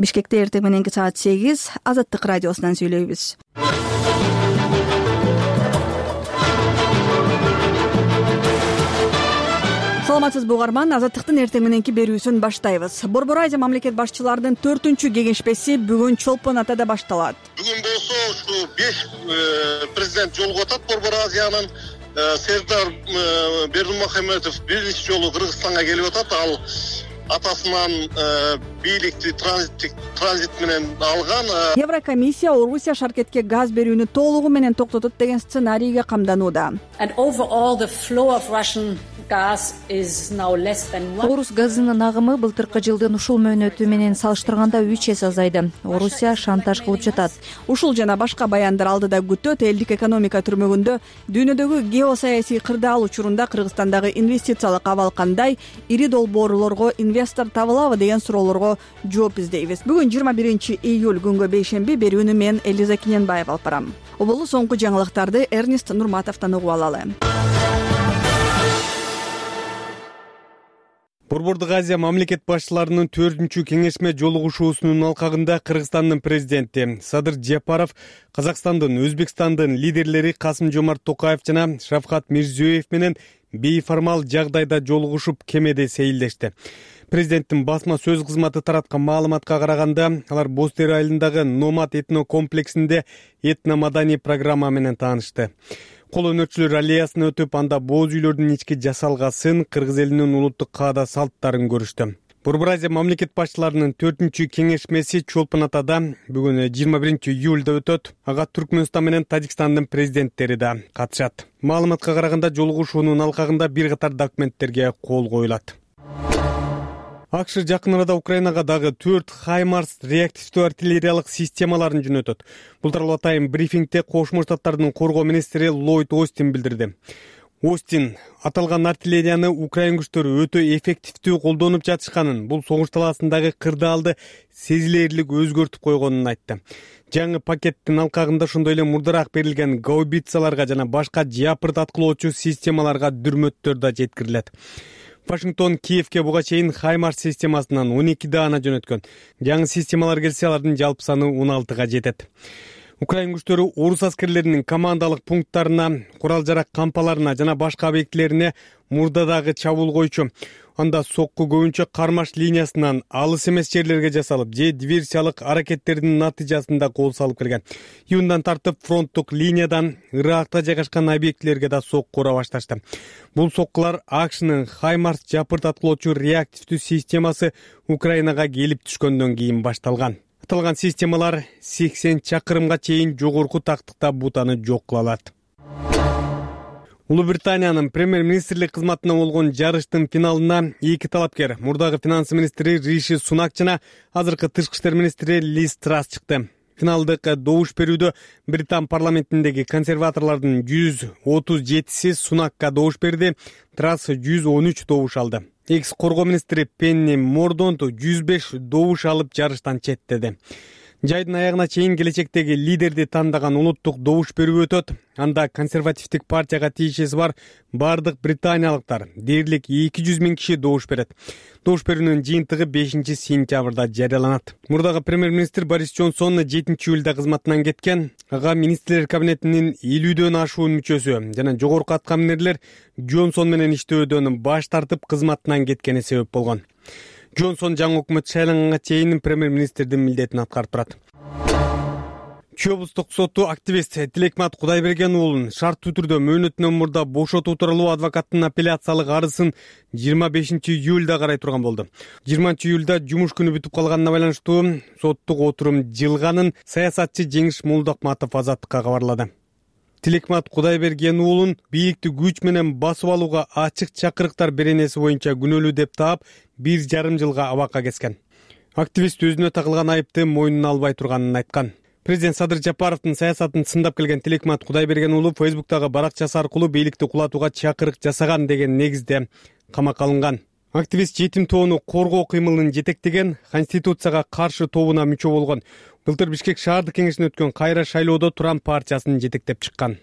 Бишкекте эртең мененки саат 8 Азаттык радиосунан сүйлөйбүз. Саламатсызбы угарман, Азаттыктын эртең мененки берүүсүн баштайбыз. Борбор Азия мамлекет башчыларынын 4-чү кеңешмеси бүгүн Чолпон Атада башталат. Бүгүн болсо ушу 5 президент жолугуп атат Борбор Азиянын. Сердар Бердимухамедов биринчи жолу Кыргызстанга келип атат. Ал атасынан бийликти транзит менен алган. Еврокомиссия Орусия Шаркетке газ берүүнү толугу менен токтотот деген сценарийге камданууда. Орус газынын агымы былтыркы жылдын ушул мөөнөтү менен салыштырганда 3 эсе азайды. Орусия шантаж кылып жатат. Ушул жана башка баяндар алдыда күтөт. Элдик экономика түрмөгүндө дүйнөдөгү геосаясий кырдаал учурунда Кыргызстандагы инвестициялык абал кандай, ири долбоорлорго инвестор табылабы деген суроолорго жооп издейбиз. Бүгүн 21 июль күнгө бейшемби берүүнү мен Элиза Киненбаев алып барам. Оболу соңку жаңылыктарды Эрнест Нурматовдон угуп алалы. Борбордук Азия мамлекет башчыларынын 4-чү кеңешме жолугушуусунун алкагында Кыргызстандын президенти Садыр Жапаров Казакстандын, Өзбекстандын лидерлери Касым-Жомарт Токаев жана Шавкат Мирзиёев менен бейформал жагдайда жолугушуп кемеде сейилдешти. Президенттин басма сөз кызматы тараткан маалыматка караганда, алар Бостер айылындагы Номад этно комплексинде этно-маданий программа менен таанышты. Кол өнөрчүлөр аллеясына өтүп, анда бооз үйлөрдүн ички жасалгасын, кыргыз элинин улуттук каада салттарын көрүштү. Борбор Азия мамлекет башчыларынын 4-чү кеңешмеси Чолпон Атада бүгүн 21 июлда өтөт. Ага Түркмөнстан менен Тажикстандын президенттери да катышат. Маалыматка караганда жолугушуунун алкагында бир катар документтерге кол коюлат. АКШ жакын арада Украинага дагы 4 Хаймарс реактивдүү артиллериялык системаларын жөнөтөт. Бул тууралуу атайын брифингде Кошмо Штаттардын коргоо министри Ллойд Остин билдирди. Остин аталган артиллерияны Украин күчтөрү өтө эффективдүү колдонуп жатышканын, бул согуш талаасындагы кырдаалды сезилерлик өзгөртүп койгонун айтты. Жаңы пакеттин алкагында ошондой эле мурдараак берилген гаубицаларга жана башка жапырт аткылоочу системаларга дүрмөттөр да жеткирилет. Вашингтон Киевке буга чейин Хаймарс системасынан 12 даана жөнөткөн. Жаңы системалар келсе, алардын жалпы саны 16га жетет. Украин күчтөрү орус аскерлеринин командалык пункттарына, курал-жарак кампаларына жана башка объектилерине мурдадагы чабуул койчу. Анда сокку көбүнчө кармаш линиясынан алыс эмес жерлерге жасалып, же диверсиялык аракеттердин натыйжасында кол салып келген. Июндан тартып фронттук линиядан Иракта жайгашкан объектилерге да сокку ура башташты. Бул соккулар АКШнын Хаймарс жапырт аткылоочу реактивдүү системасы Украинага келип түшкөндөн кийин башталган. Аталган системалар 80 чакырымга чейин жогорку тактыкта бутаны жок кыла алат. Улуу Британиянын премьер-министрлик кызматына болгон жарыштын финалына 2 талапкер, мурдагы финанс министри Риши Сунак жана азыркы тышкы иштер министри Лиз Трасс чыкты. Финалдык добуш берүүдө Британ парламентиндеги консерваторлордун 137си Сунакка добуш берди, Трасс 113 добуш алды. Экс коргоо министри Пенни Мордонт 105 добуш алып жарыштан четтеди. Жайдын аягына чейин келечектеги лидерди тандаган улуттук добуш берүү өтөт. Анда консервативдик партияга тиешеси бар бардык британиялыктар дээрлик 200 000 киши добуш берет. Добуш берүүнүн жыйынтыгы 5 сентябрда жарыяланат. Мурдагы премьер-министр Борис Джонсон 7 июлда кызматынан кеткен. Ага министрлер кабинетинин 50дөн ашуун мүчөсү жана жогорку аткаминерлер Джонсон менен иштөөдөн баш тартып кызматынан кеткени себеп болгон. Джонсон жаңы өкмөт шайланганга чейин премьер-министрдин милдетин аткарып турат. Чүй облустук соту активист Тилекмат Кудайберген уулун шарттуу түрдө мөөнөтүнөн мурда бошотуу тууралуу адвокаттын апелляциялык арызын 25 июлда карай турган болду. 20 июлда жумуш күнү бүтүп калганына байланыштуу соттук отурум жылганын саясатчы Жеңиш Молдокматов Азаттыкка кабарлады. Тилекмат Кудайберген уулун бийликти күч менен басып алууга ачык чакырыктар беренеси боюнча күнөөлүү деп таап 1,5 жылга абакка кескен. Активист өзүнө тагылган айыпты мойнуна албай турганын айткан. Президент Садыр Жапаровдун саясатын сындап келген Тилекмат Кудайберген уулу Фейсбуктагы баракчасы аркылуу бийликти кулатууга чакырык жасаган деген негизде камакка алынган. Активист жетим тоону коргоо кыймылын жетектеген, Конституцияга каршы тобуна мүчө болгон. Былтыр Бишкек шаардык кеңешинде өткөн кайра шайлоодо Туран партиясын жетектеп чыккан.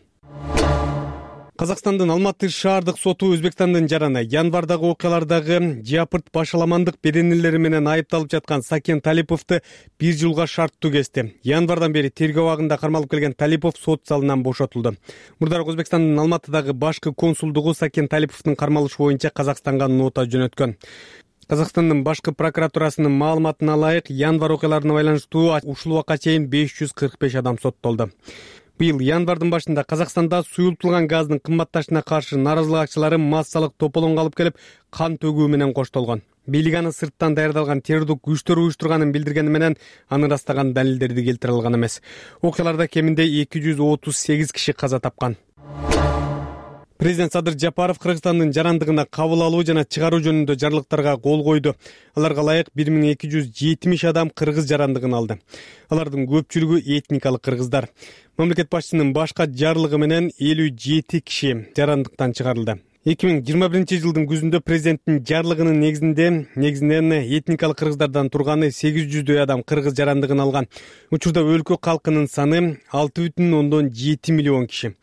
Казакстандын Алматы шаардык соту Өзбекстандын жараны январдагы окуялардагы жапырт башаламандык беренелери менен айыпталып жаткан Сакен Талиповду 1 жылга шарттуу кести. Январдан бери тергөө абагында кармалып келген Талипов сот залынан бошотулду. Мурдараак Өзбекстандын Алматыдагы башкы консулдугу Сакен Талиповдун кармалышы боюнча Казакстанга нота жөнөткөн. Казакстандын башкы прокуратурасынын маалыматына ылайык, январ окуяларына байланыштуу ушул убакка чейин 545 адам соттолду. Быйыл январдын башында Казакстанда суюлтулган газдын кымбатташына каршы нааразылык акчалары массалык тополоңго алып келип, кан төгүү менен коштолгон. Бийлик аны сырттан даярдалган террордук күчтөр уюштурганын билдиргени менен аны ырастаган далилдерди келтире алган эмес. Окуяларда кеминде 238 киши каза тапкан. Президент Садыр Жапаров Кыргызстандын жарандыгына кабыл алуу жана чыгаруу жөнүндө жарлыктарга кол койду. Аларга ылайык 1270 адам кыргыз жарандыгын алды. Алардын көпчүлүгү этникалык кыргыздар. Мамлекет башчысынын башка жарлыгы менен 57 киши жарандыктан чыгарылды. 2021 жылдын күзүндө президенттин жарлыгынын негизинен этникалык кыргыздардан турганы 800дөй адам кыргыз жарандыгын алган. Учурда өлкө калкынын саны 6,7 миллион киши.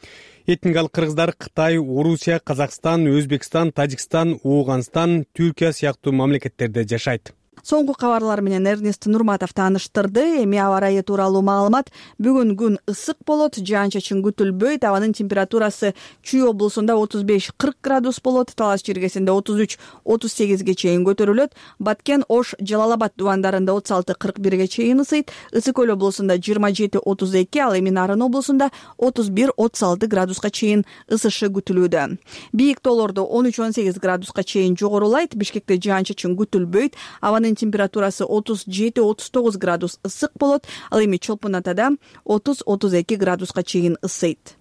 Этникалык кыргыздар Кытай, Орусия, Казакстан, Өзбекстан, Тажикстан, Ооганстан, Түркия сыяктуу мамлекеттерде жашайт. Соңку кабарлар менен Эрнест Нурматов тааныштырды. Эми аба ырайы тууралуу маалымат. Бүгүн күн ысык болот, жаан-чачын күтүлбөйт. Абанын температурасы Чүй облусунда 35-40 градус болот, Талас чиркесинде 33-38ге чейин көтөрүлөт. Баткен, Ош, Жалал Абад дубандарында 36-41ге чейин ысыйт. Ысык көл облусунда 27-32, ал эми Нарын облусунда 31-36 градуска чейин ысышы күтүлүүдө. Бийик тоолордо 13-18 градуска чейин жогорулайт. Бишкекте жаан-чачын күтүлбөйт. Абанын температурасы 37-39 градус ысык болот, ал эми Чолпон Атада 30-32 градуска чейин ысыйт.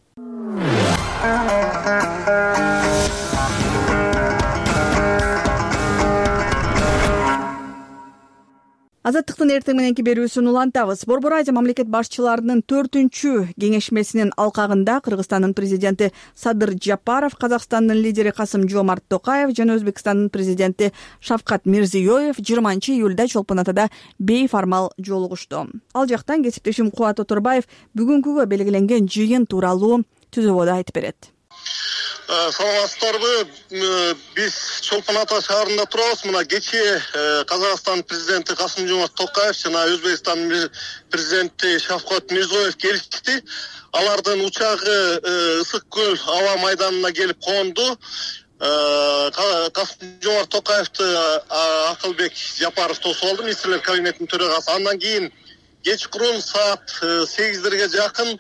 Азаттыктын эртең мененки берүүсүн улантабыз. Борбор Азия мамлекет башчыларынын 4-чү кеңешмесинин алкагында Кыргызстандын президенти Садыр Жапаров, Казакстандын лидери Касым-Жомарт Токаев жана Өзбекстандын президенти Шавкат Мирзиёев 20-июлда Чолпон Атада бейформал жолугушту. Ал жактан кесиптешим Кубат Оторбаев бүгүнкүгө белгиленген жыйын тууралуу түзүүбөдө айтып берет. Саламатсыздарбы? Биз Чолпон Ата шаарында турабыз. Мына кечээ Казакстан президенти Касым-Жомарт Токаев жана Өзбекстан президенти Шавкат Мирзиёев келишти. Алардын учагы Ысык көл аба майданына келип конду. Касым-Жомарт Токаевди Акылбек Жапаров тосуп алды, министрлер кабинетинин төрагасы. Андан кийин кечкурун саат 8-дерге жакын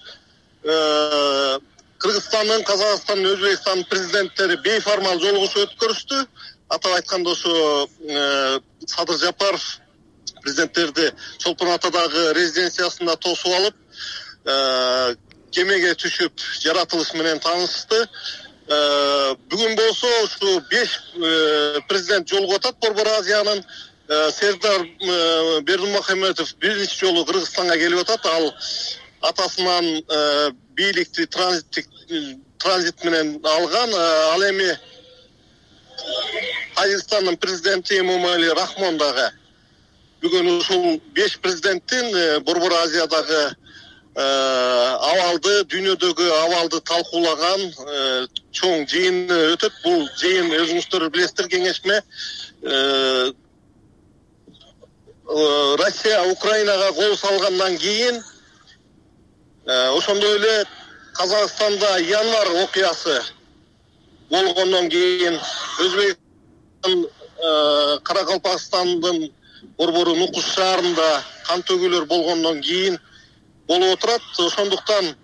Кыргызстандын, Казакстандын, Өзбекстандын президенттери бейформал жолугушуу өткөрүштү. Атап айтканда ошо Садыр Жапаров президенттерди Чолпон Атадагы резиденциясында тосуп алып, кемеге түшүп жаратылыш менен таанышты. Бүгүн болсо ушу 5 президент жолугуп атат. Борбор Азиянын Сердар Бердымухамедов биринчи жолу Кыргызстанга келип атат. Ал атасынан бийликти транзит менен алган. Ал эми Тажикстандын президенти Эмомали Рахмон дагы бүгүн ушул 5 президенттин Борбор Азиядагы абалды, дүйнөдөгү абалды талкуулаган чоң жыйыны өтөт. Бул жыйын өзүңүздөр билесиздер, кеңешме Россия Украинага кол салгандан кийин, ошондой эле Казакстанда январ окуясы болгондон кийин, Өзбекстан Каракалпакстандын борбору Нукуш шаарында кан төгүүлөр болгондон кийин болуп отурат. Ошондуктан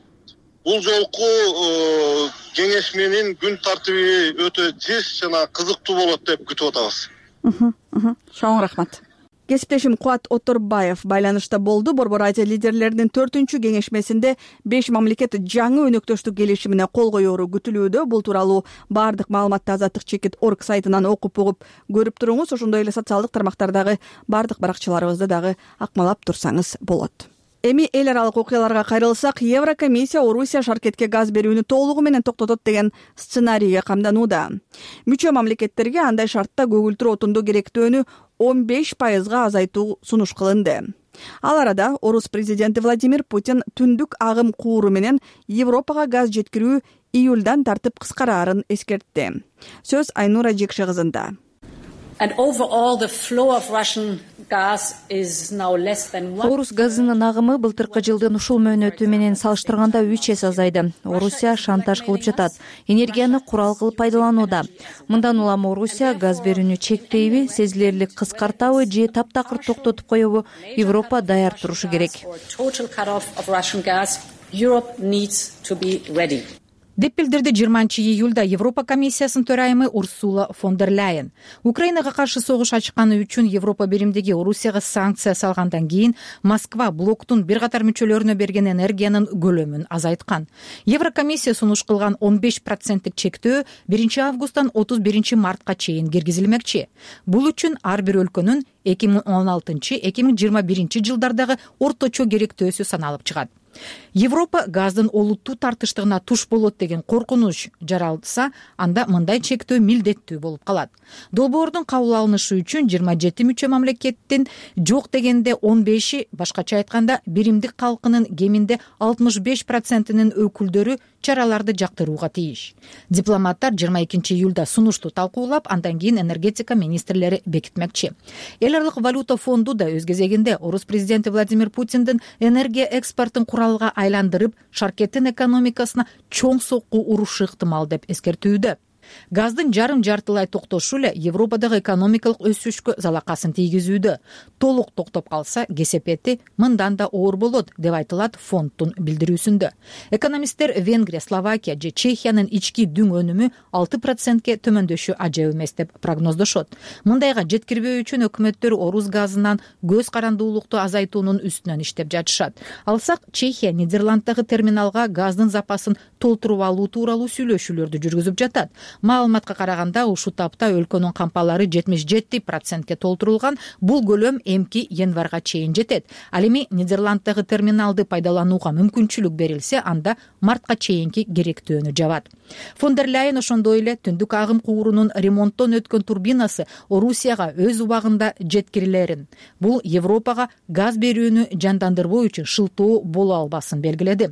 бул жолку кеңешменин күн тартиби өтө жыш жана кызыктуу болот деп күтүп атабыз. Чоң рахмат. Кесиптешим Кубат Оторбаев байланышта болду. Борбор Азия лидерлеринин 4-чү кеңешмесинде 5 мамлекет жаңы өнөктөштүк келишимине кол коёру күтүлүүдө. Бул тууралуу баардык маалыматты azattik.org сайтынан окуп угуп көрүп туруңуз. Ошондой эле социалдык тармактардагы баардык баракчаларыбызды дагы акмалап турсаңыз болот. Эми эл аралык окуяларга кайрылсак, Еврокомиссия Орусия шаркетке газ берүүнү толугу менен токтотот деген сценарийге камданууда. Мүчө мамлекеттерге андай шартта көгүлтүр отунду керектөөнү 15%га азайтуу сунуш кылынды. Ал арада Орус президенти Владимир Путин түндүк агым кууру менен Европага газ жеткирүү июлдан тартып кыскараарын эскертти. Сөз Айнура Жекше кызында. Орус газынын агымы былтыркы жылдын ушул мөөнөтү менен салыштырганда 3 эсе азайды. Орусия шантаж кылып жатат. Энергияны курал кылып пайдаланууда. Мындан улам Орусия газ берүүнү чектейби, сезилерлик кыскартабы же таптакыр токтотуп коебу? Европа даяр турушу керек. деп билдирди 20-июлда Европа комиссиясынын төрайымы Урсула фон дер Ляйен. Украинага каршы согуш ачканы үчүн Европа биримдиги Орусияга санкция салгандан кийин Москва блоктун бир катар мүчөлөрүнө берген энергиянын көлөмүн азайткан. Еврокомиссия сунуш кылган 15% чектөө 1-августтан 31-мартка чейин киргизилмекчи. Бул үчүн ар бир өлкөнүн 2016-2021 жылдардагы орточо керектөөсү саналып чыгат. Европа газдын олуттуу тартыштыгына туш болот деген коркунуч жаралса, анда мындай чектөө милдеттүү болуп калат. Долбоордун кабыл алынышы үчүн 27 мүчө мамлекеттин жок дегенде 15-и, башкача айтканда биримдик калкынын кеминде 65%-нин өкүлдөрү чараларды жактырууга тийиш. Дипломаттар 22-июлда сунушту талкуулап, андан кийин энергетика министрлери бекитмекчи. Эл аралык валюта фонду да өз кезегинде Орус президенти Владимир Путиндин энергия экспортун куралга айландырып, шаркеттин экономикасына чоң сокку урушу ыктымал деп эскертүүдө. Газдын жарым-жартылай токтошу эле Европадагы экономикалык өсүшкө залакасын тийгизүүдө. Толук токтоп калса, кесепети мындан да оор болот, деп айтылат фонддун билдирүүсүндө. Экономисттер Венгрия, Словакия же Чехиянын ички дүң өнүмү 6%ке төмөндөшү ажайып эмес деп прогноздошот. Мындайга жеткирбөө үчүн өкмөттөр Орус газынан көз карандуулукту азайтуунун үстүнөн иштеп жатышат. Алсак, Чехия Нидерланддагы терминалга газдын запасын толтуруп алуу тууралуу сүйлөшүүлөрдү жүргүзүп жатат. Маалыматка караганда, ушул тапта өлкөнүн кампалары 77%ке толтурулган. Бул көлөм эмки январга чейин жетет. Ал эми Нидерланддагы терминалды пайдаланууга мүмкүнчүлүк берилсе, анда мартка чейинки керектөөнү жабат. Фон дер Ляйен ошондой эле түндүк агым куурунун ремонттон өткөн турбинасы Орусияга өз убагында жеткирилерин, бул Европага газ берүүнү жандандырбоо үчүн шылтоо боло албасын белгиледи.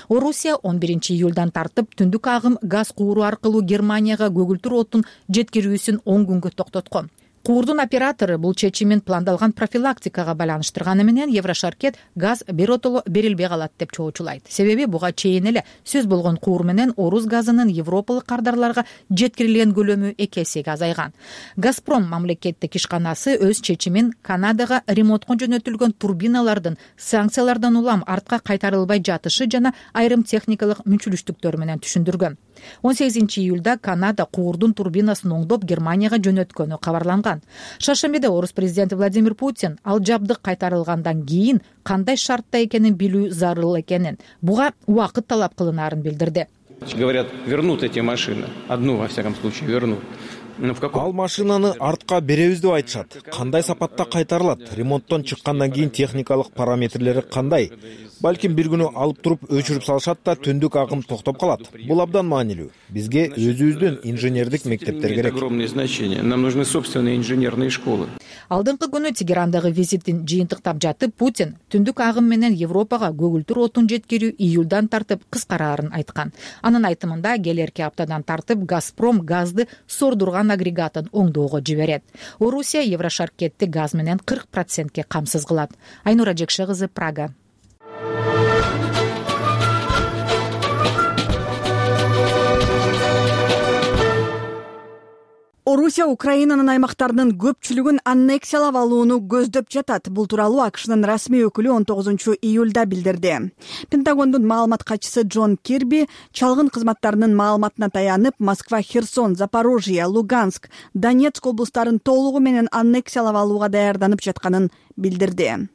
Орусия 11-июлдан тартып түндүк агым газ кууру аркылуу Германияга көгүлтүр отун жеткирүүсүн 10 күнгө токтоткон. Куурдун оператору бул чечимин пландалган профилактикага байланыштырганы менен Еврошаркет газ биротоло берилбей калат деп чоочулайт. Себеби буга чейин эле сөз болгон куур менен Орус газынын европалык кардарларга жеткирилген көлөмү 2 эсеге азайган. Газпром мамлекеттик ишканасы өз чечимин Канадага ремонтко жөнөтүлгөн турбиналардын санкциялардан улам артка кайтарылбай жатышы жана айрым техникалык мүнчүлүштүктөр менен түшүндүргөн. 18-июлда Канада куурдун турбинасын оңдоп Германияга жөнөткөнү кабарланган. Шаршембиде Орус президенти Владимир Путин ал жабдык кайтарылгандан кийин кандай шартта экенин билүү зарыл экенин, буга убакыт талап кылынаарын билдирди. Говорят, вернут эти машины. Одну, во всяком случае, вернут. Ал машинаны артка беребиз деп айтышат. Кандай сапатта кайтарылат? Ремонттон чыккандан кийин техникалык параметрлери кандай? Балким бир күнү алып туруп өчүрүп салышат да түндүк агым токтоп калат. Бул абдан маанилүү. Бизге өзүбүздүн инженердик мектептер керек. Огромное значение. Нам нужны собственные инженерные школы. Алдыңкы күнү Тегерандагы визитин жыйынтыктап жатып, Путин түндүк агым менен Европага көгүлтүр отун жеткирүү июлдан тартып кыскараарын айткан. Анын айтымында келерки аптадан тартып Газпром газды сордурган агрегатын оңдоого жиберет. Орусия Еврошаркетти газ менен 40%ке камсыз кылат. Айнура Жекше кызы, Прага. Орусия Украинанын аймактарынын көпчүлүгүн аннексиялап алууну көздөп жатат. Бул тууралуу АКШнын расмий өкүлү 19-июлда билдирди. Пентагондун маалымат катчысы Джон Кирби чалгын кызматтарынын маалыматына таянып, Москва, Херсон, Запорожье, Луганск, Донецк облустарын толугу менен аннексиялап алууга даярданып жатканын билдирди.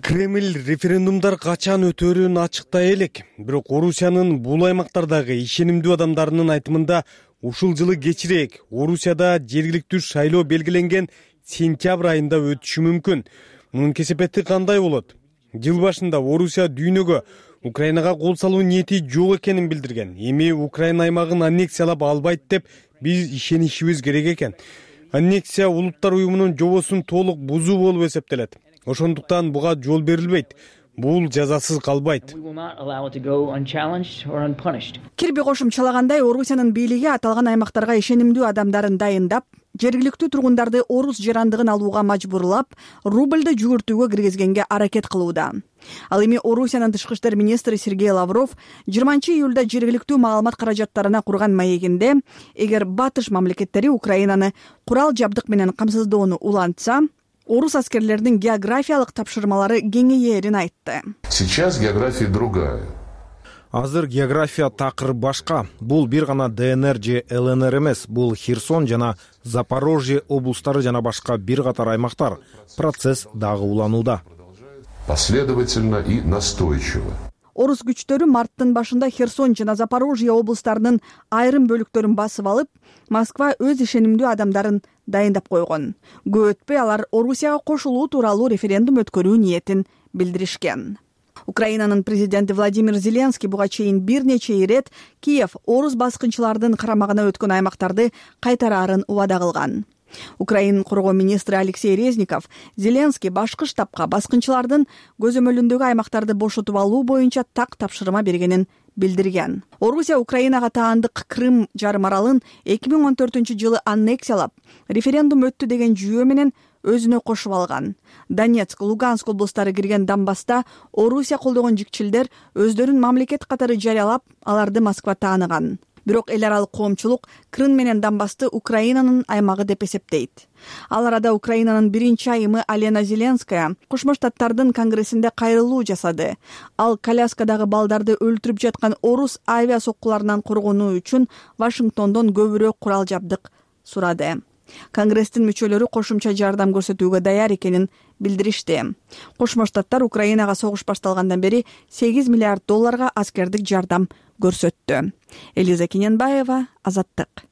Кремль референдумдар качан өтөөрүн ачыктай элек. Бирок Орусиянын бул аймактардагы ишенимдүү адамдарынын айтымында ушул жылы кечирээк Орусияда жергиликтүү шайлоо белгиленген сентябрь айында өтүшү мүмкүн. Мунун кесепети кандай болот? Жыл башында Орусия дүйнөгө Украинага кол салуу ниети жок экенин билдирген. Эми Украина аймагын аннексиялап албайт деп биз ишенишибиз керек экен. Аннексия улуттар уюмунун жобосун толук бузуу болуп эсептелет. Ошондуктан буга жол берилбейт. бул жазасыз калбайт. Кирби кошумчалагандай, Орусиянын бийлиги аталган аймактарга ишенимдүү адамдарын дайындап, жергиликтүү тургундарды орус жарандыгын алууга мажбурлап, рубльды жүгүртүүгө киргизгенге аракет кылууда. Ал эми Орусиянын тышкы иштер министри Сергей Лавров 20-июлда жергиликтүү маалымат каражаттарына курган маегинде, эгер батыш мамлекеттери Украинаны курал жабдык менен камсыздоону улантса, орус аскерлеринин географиялык тапшырмалары кеңейерин айтты. Сейчас география другая. Азыр география такыр башка. Бул бир гана ДНР же ЛНР эмес, бул Херсон жана Запорожье облустары жана башка бир катар аймактар. Процесс дагы уланууда. Последовательно и настойчиво. Орус күчтөрү марттын башында Херсон жана Запорожье облустарынын айрым бөлүктөрүн басып алып, Москва өз ишенимдүү адамдарын дайындап койгон. Көп өтпөй алар Орусияга кошулуу тууралуу референдум өткөрүү ниетин билдиришкен. Украинанын президенти Владимир Зеленский буга чейин бир нече ирет Киев орус баскынчылардын карамагына өткөн аймактарды кайтараарын убада кылган. Украинанын коргоо министри Алексей Резников Зеленский башкы штабка баскынчылардын көзөмөлүндөгү аймактарды бошотуп алуу боюнча так тапшырма бергенин билдирген. Орусия Украинага таандык Крым жарым аралын 2014-жылы аннексиялап, референдум өттү деген жүйө менен өзүнө кошуп алган. Донецк, Луганск облустары кирген Донбасста Орусия колдогон жикчилдер өздөрүн мамлекет катары жарыялап, аларды Москва тааныган. Бирок эл аралык коомчулук Крым менен Донбасты Украинанын аймагы деп эсептейт. Ал арада Украинанын биринчи айымы Алена Зеленская Кошмо Штаттардын конгрессинде кайрылуу жасады. Ал коляскадагы балдарды өлтүрүп жаткан орус авиа соккуларынан коргонуу үчүн Вашингтондон көбүрөөк курал жабдык сурады. Конгресстин мүчөлөрү кошумча жардам көрсөтүүгө даяр экенин билдиришти. Кошмо Штаттар Украинага согуш башталгандан бери $8 миллиард аскердик жардам көрсөттү. Элиза Кененбаева, Азаттык.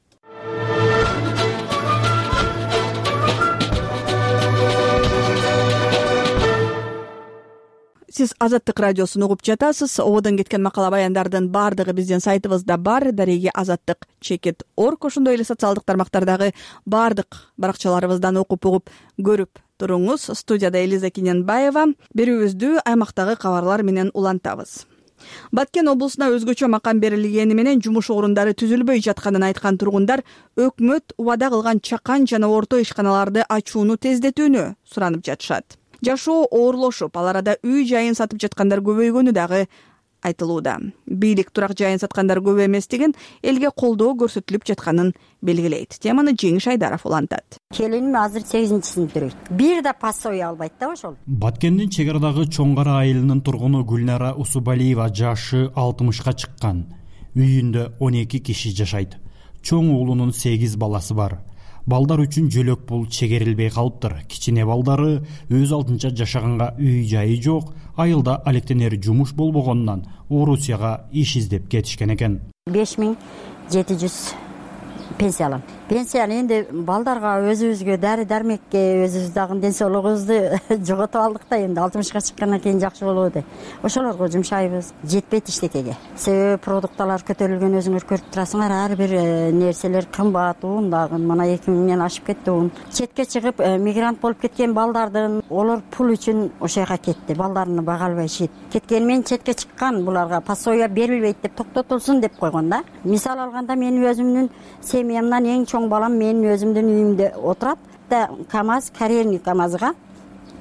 Сиз Азаттык радиосун угуп жатасыз. Ободон кеткен макала баяндардын баардыгы биздин сайтыбызда бар. Дареги azattik.org. Ошондой эле социалдык тармактардагы баардык баракчаларыбыздан окуп угуп көрүп туруңуз. Студияда Элиза Кененбаева. Берүүбүздү аймактагы кабарлар менен улантабыз. Баткен облусуна өзгөчө макам берилгени менен жумуш орундары түзүлбөй жатканын айткан тургундар өкмөт убада кылган чакан жана орто ишканаларды ачууну тездетүүнү суранып жатышат. Жашоо оорлошуп, ал арада үй жайын сатып жаткандар көбөйгөнү дагы айтылууда. Бийлик турак жайын саткандар көп эместигин, элге колдоо көрсөтүлүп жатканын белгилейт. Теманы Жеңиш Айдаров улантат. Келиним азыр 8-сиңиптир. Бир да пассой албайт да ошол. Баткендин чек арадагы Чоң Кара айылынын тургуну Гүлнара Усубалиева жашы 60-ка чыккан. Үйүндө 12 киши жашайт. Чоң уулунун 8 баласы бар. Балдар үчүн жөлөк пул чегерилбей калыптыр. Кичине балдары өз алдынча жашаганга үй жайы жок, айылда алектенер жумуш болбогондон Орусияга иш издеп кетишкен экен. 5700 пенсия алам. Пенсияны энди балдарга, өзүбүзгө, дары дармекке, өзүбүз дагы ден соолугубузду жоготуп алдык да, энди 60-ка чыккандан кийин жакшы болобу деп. Ошолорго жумшайбыз. Жетпейт иштекеге. Себеби продукттар көтөрүлгөн, өзүңөр көрүп турасыңар, ар бир нерселер кымбат, ун дагы мына 2000 ашып кетти ун. Четке чыгып мигрант болуп кеткен балдардын олар пул үчүн ошо жака кетти. Балдарыны бага албай шийт. Кеткен мен четке чыккан, буларга пассоя берилбейт деп токтотулсун деп койгон да. Мисал алганда мен өзүмдүн семьямдан эң чоң балам менин өзүмдүн үйүмдө отурат да, КамАЗ, карьерный КамАЗга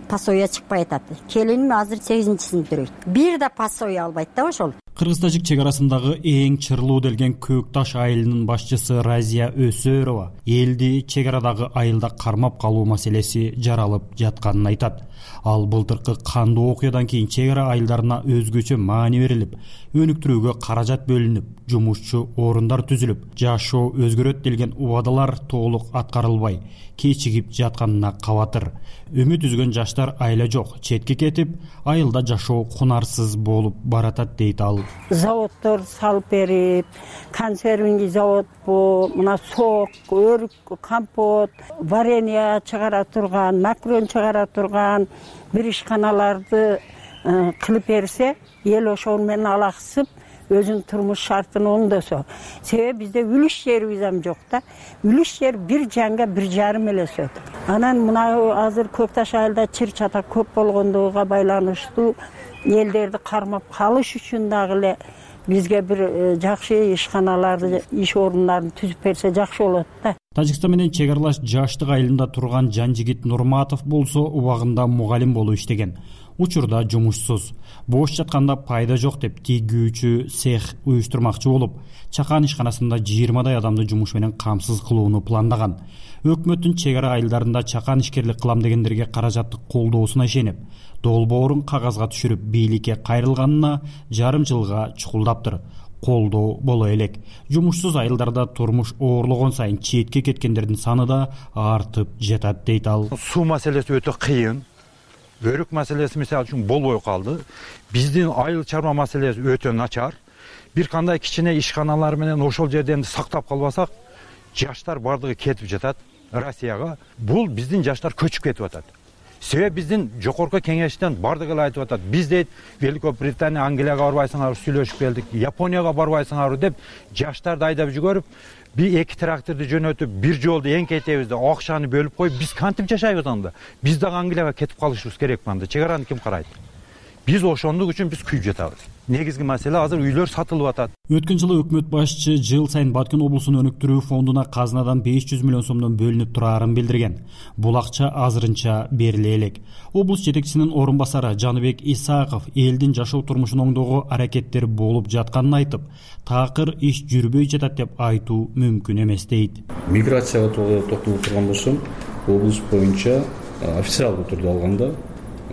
пассоя чыкпай атат. Келиним азыр 8-сиңиптир. Бир да пассоя албайт да ошол. Кыргыз-тажик чек арасындагы эң чырлуу делген Көкташ айылынын башчысы Разия Өсөрова элди чек арадагы айылда кармап калуу маселеси жаралып жатканын айтат. Ал былтыркы кандуу окуядан кийин чек ара айылдарына өзгөчө маани берилип, өнүктүрүүгө каражат бөлүнүп, жумушчу орундар түзүлүп, жашоо өзгөрөт делген убадалар толук аткарылбай, кечигип жатканына кабатыр. Үмүт үзгөн жаштар айла жок, четке кетип, айылда жашоо кунарсыз болуп баратат дейт ал. Заводдор салып берип, консервный завод бу, мына сок, өрүк, компот, варенье чыгара турган, макарон чыгара турган бир ишканаларды кылып берсе, эл ошол менен алаксып, өзүнүн турмуш шартын оңдосо. Себеби бизде үлүш жерибиз ам жок да. Үлүш жер 1 жанга 1,5 эле өсөт. Анан мына азыр Көк Таш айылда чыр чатак көп болгондугуга байланыштуу элдерди кармап калыш үчүн дагы эле бизге бир жакшы ишканаларды, иш орундарын түзүп берсе жакшы болот да. Тажикстан менен чек аралаш Жаштык айылында турган Жанжигит Нурматов болсо убагында мугалим болуп иштеген. Учурда жумушсуз. Бош жатканда пайда жок деп тийгүүчү цех уюштурмакчы болуп, чакан ишканасында 20дай адамды жумуш менен камсыз кылууну пландаган. Өкмөттүн чек ара айылдарында чакан ишкерлик кылам дегендерге каражатты колдоосуна ишенип, долбоорун кагазга түшүрүп бийликке кайрылганына жарым жылга чукулдаптыр. Колдоо боло элек. Жумушсуз айылдарда турмуш оорлогон сайын четке кеткендердин саны да артып жатат дейт ал. Суу маселеси өтө кыйын. Өрүк маселеси мисалы үчүн болбой калды. Биздин айыл чарба маселеси өтө начар. Бир кандай кичине ишканалар менен ошол жерден сактап калбасак, жаштар бардыгы кетип жатат Россияга. Бул биздин жаштар көчүп кетип атат. Себеби биздин жогорку кеңештен бардыгы эле айтып атат. Биз дейт Великобритания, Англияга барбайсыңар, сүйлөшүп келдик, Японияга барбайсыңар деп жаштарды айдап жүгөрүп, бир 2 тракторду жөнөтүп, бир жолду эңкейтебиз да акчаны бөлүп коюп, биз кантип жашайбыз анда? Биз дагы Англияга кетип калышыбыз керек анда. Чек араны ким карайт? Биз ошондук үчүн биз күйүп жатабыз. Негизги маселе азыр үйлөр сатылып атат. Өткөн жылы өкмөт башчы жыл сайын Баткен облусун өнүктүрүү фондуна казнадан 500 миллион сомдон бөлүнүп турарын билдирген. Бул акча азырынча бериле элек. Облус жетекчисинин орун басары Жаныбек Исаков элдин жашоо турмушун оңдоого аракеттер болуп жатканын айтып, такыр иш жүрбөй жатат деп айтуу мүмкүн эмес дейт. Миграцияга токтолуп турган болсом, облус боюнча официалдуу түрдө алганда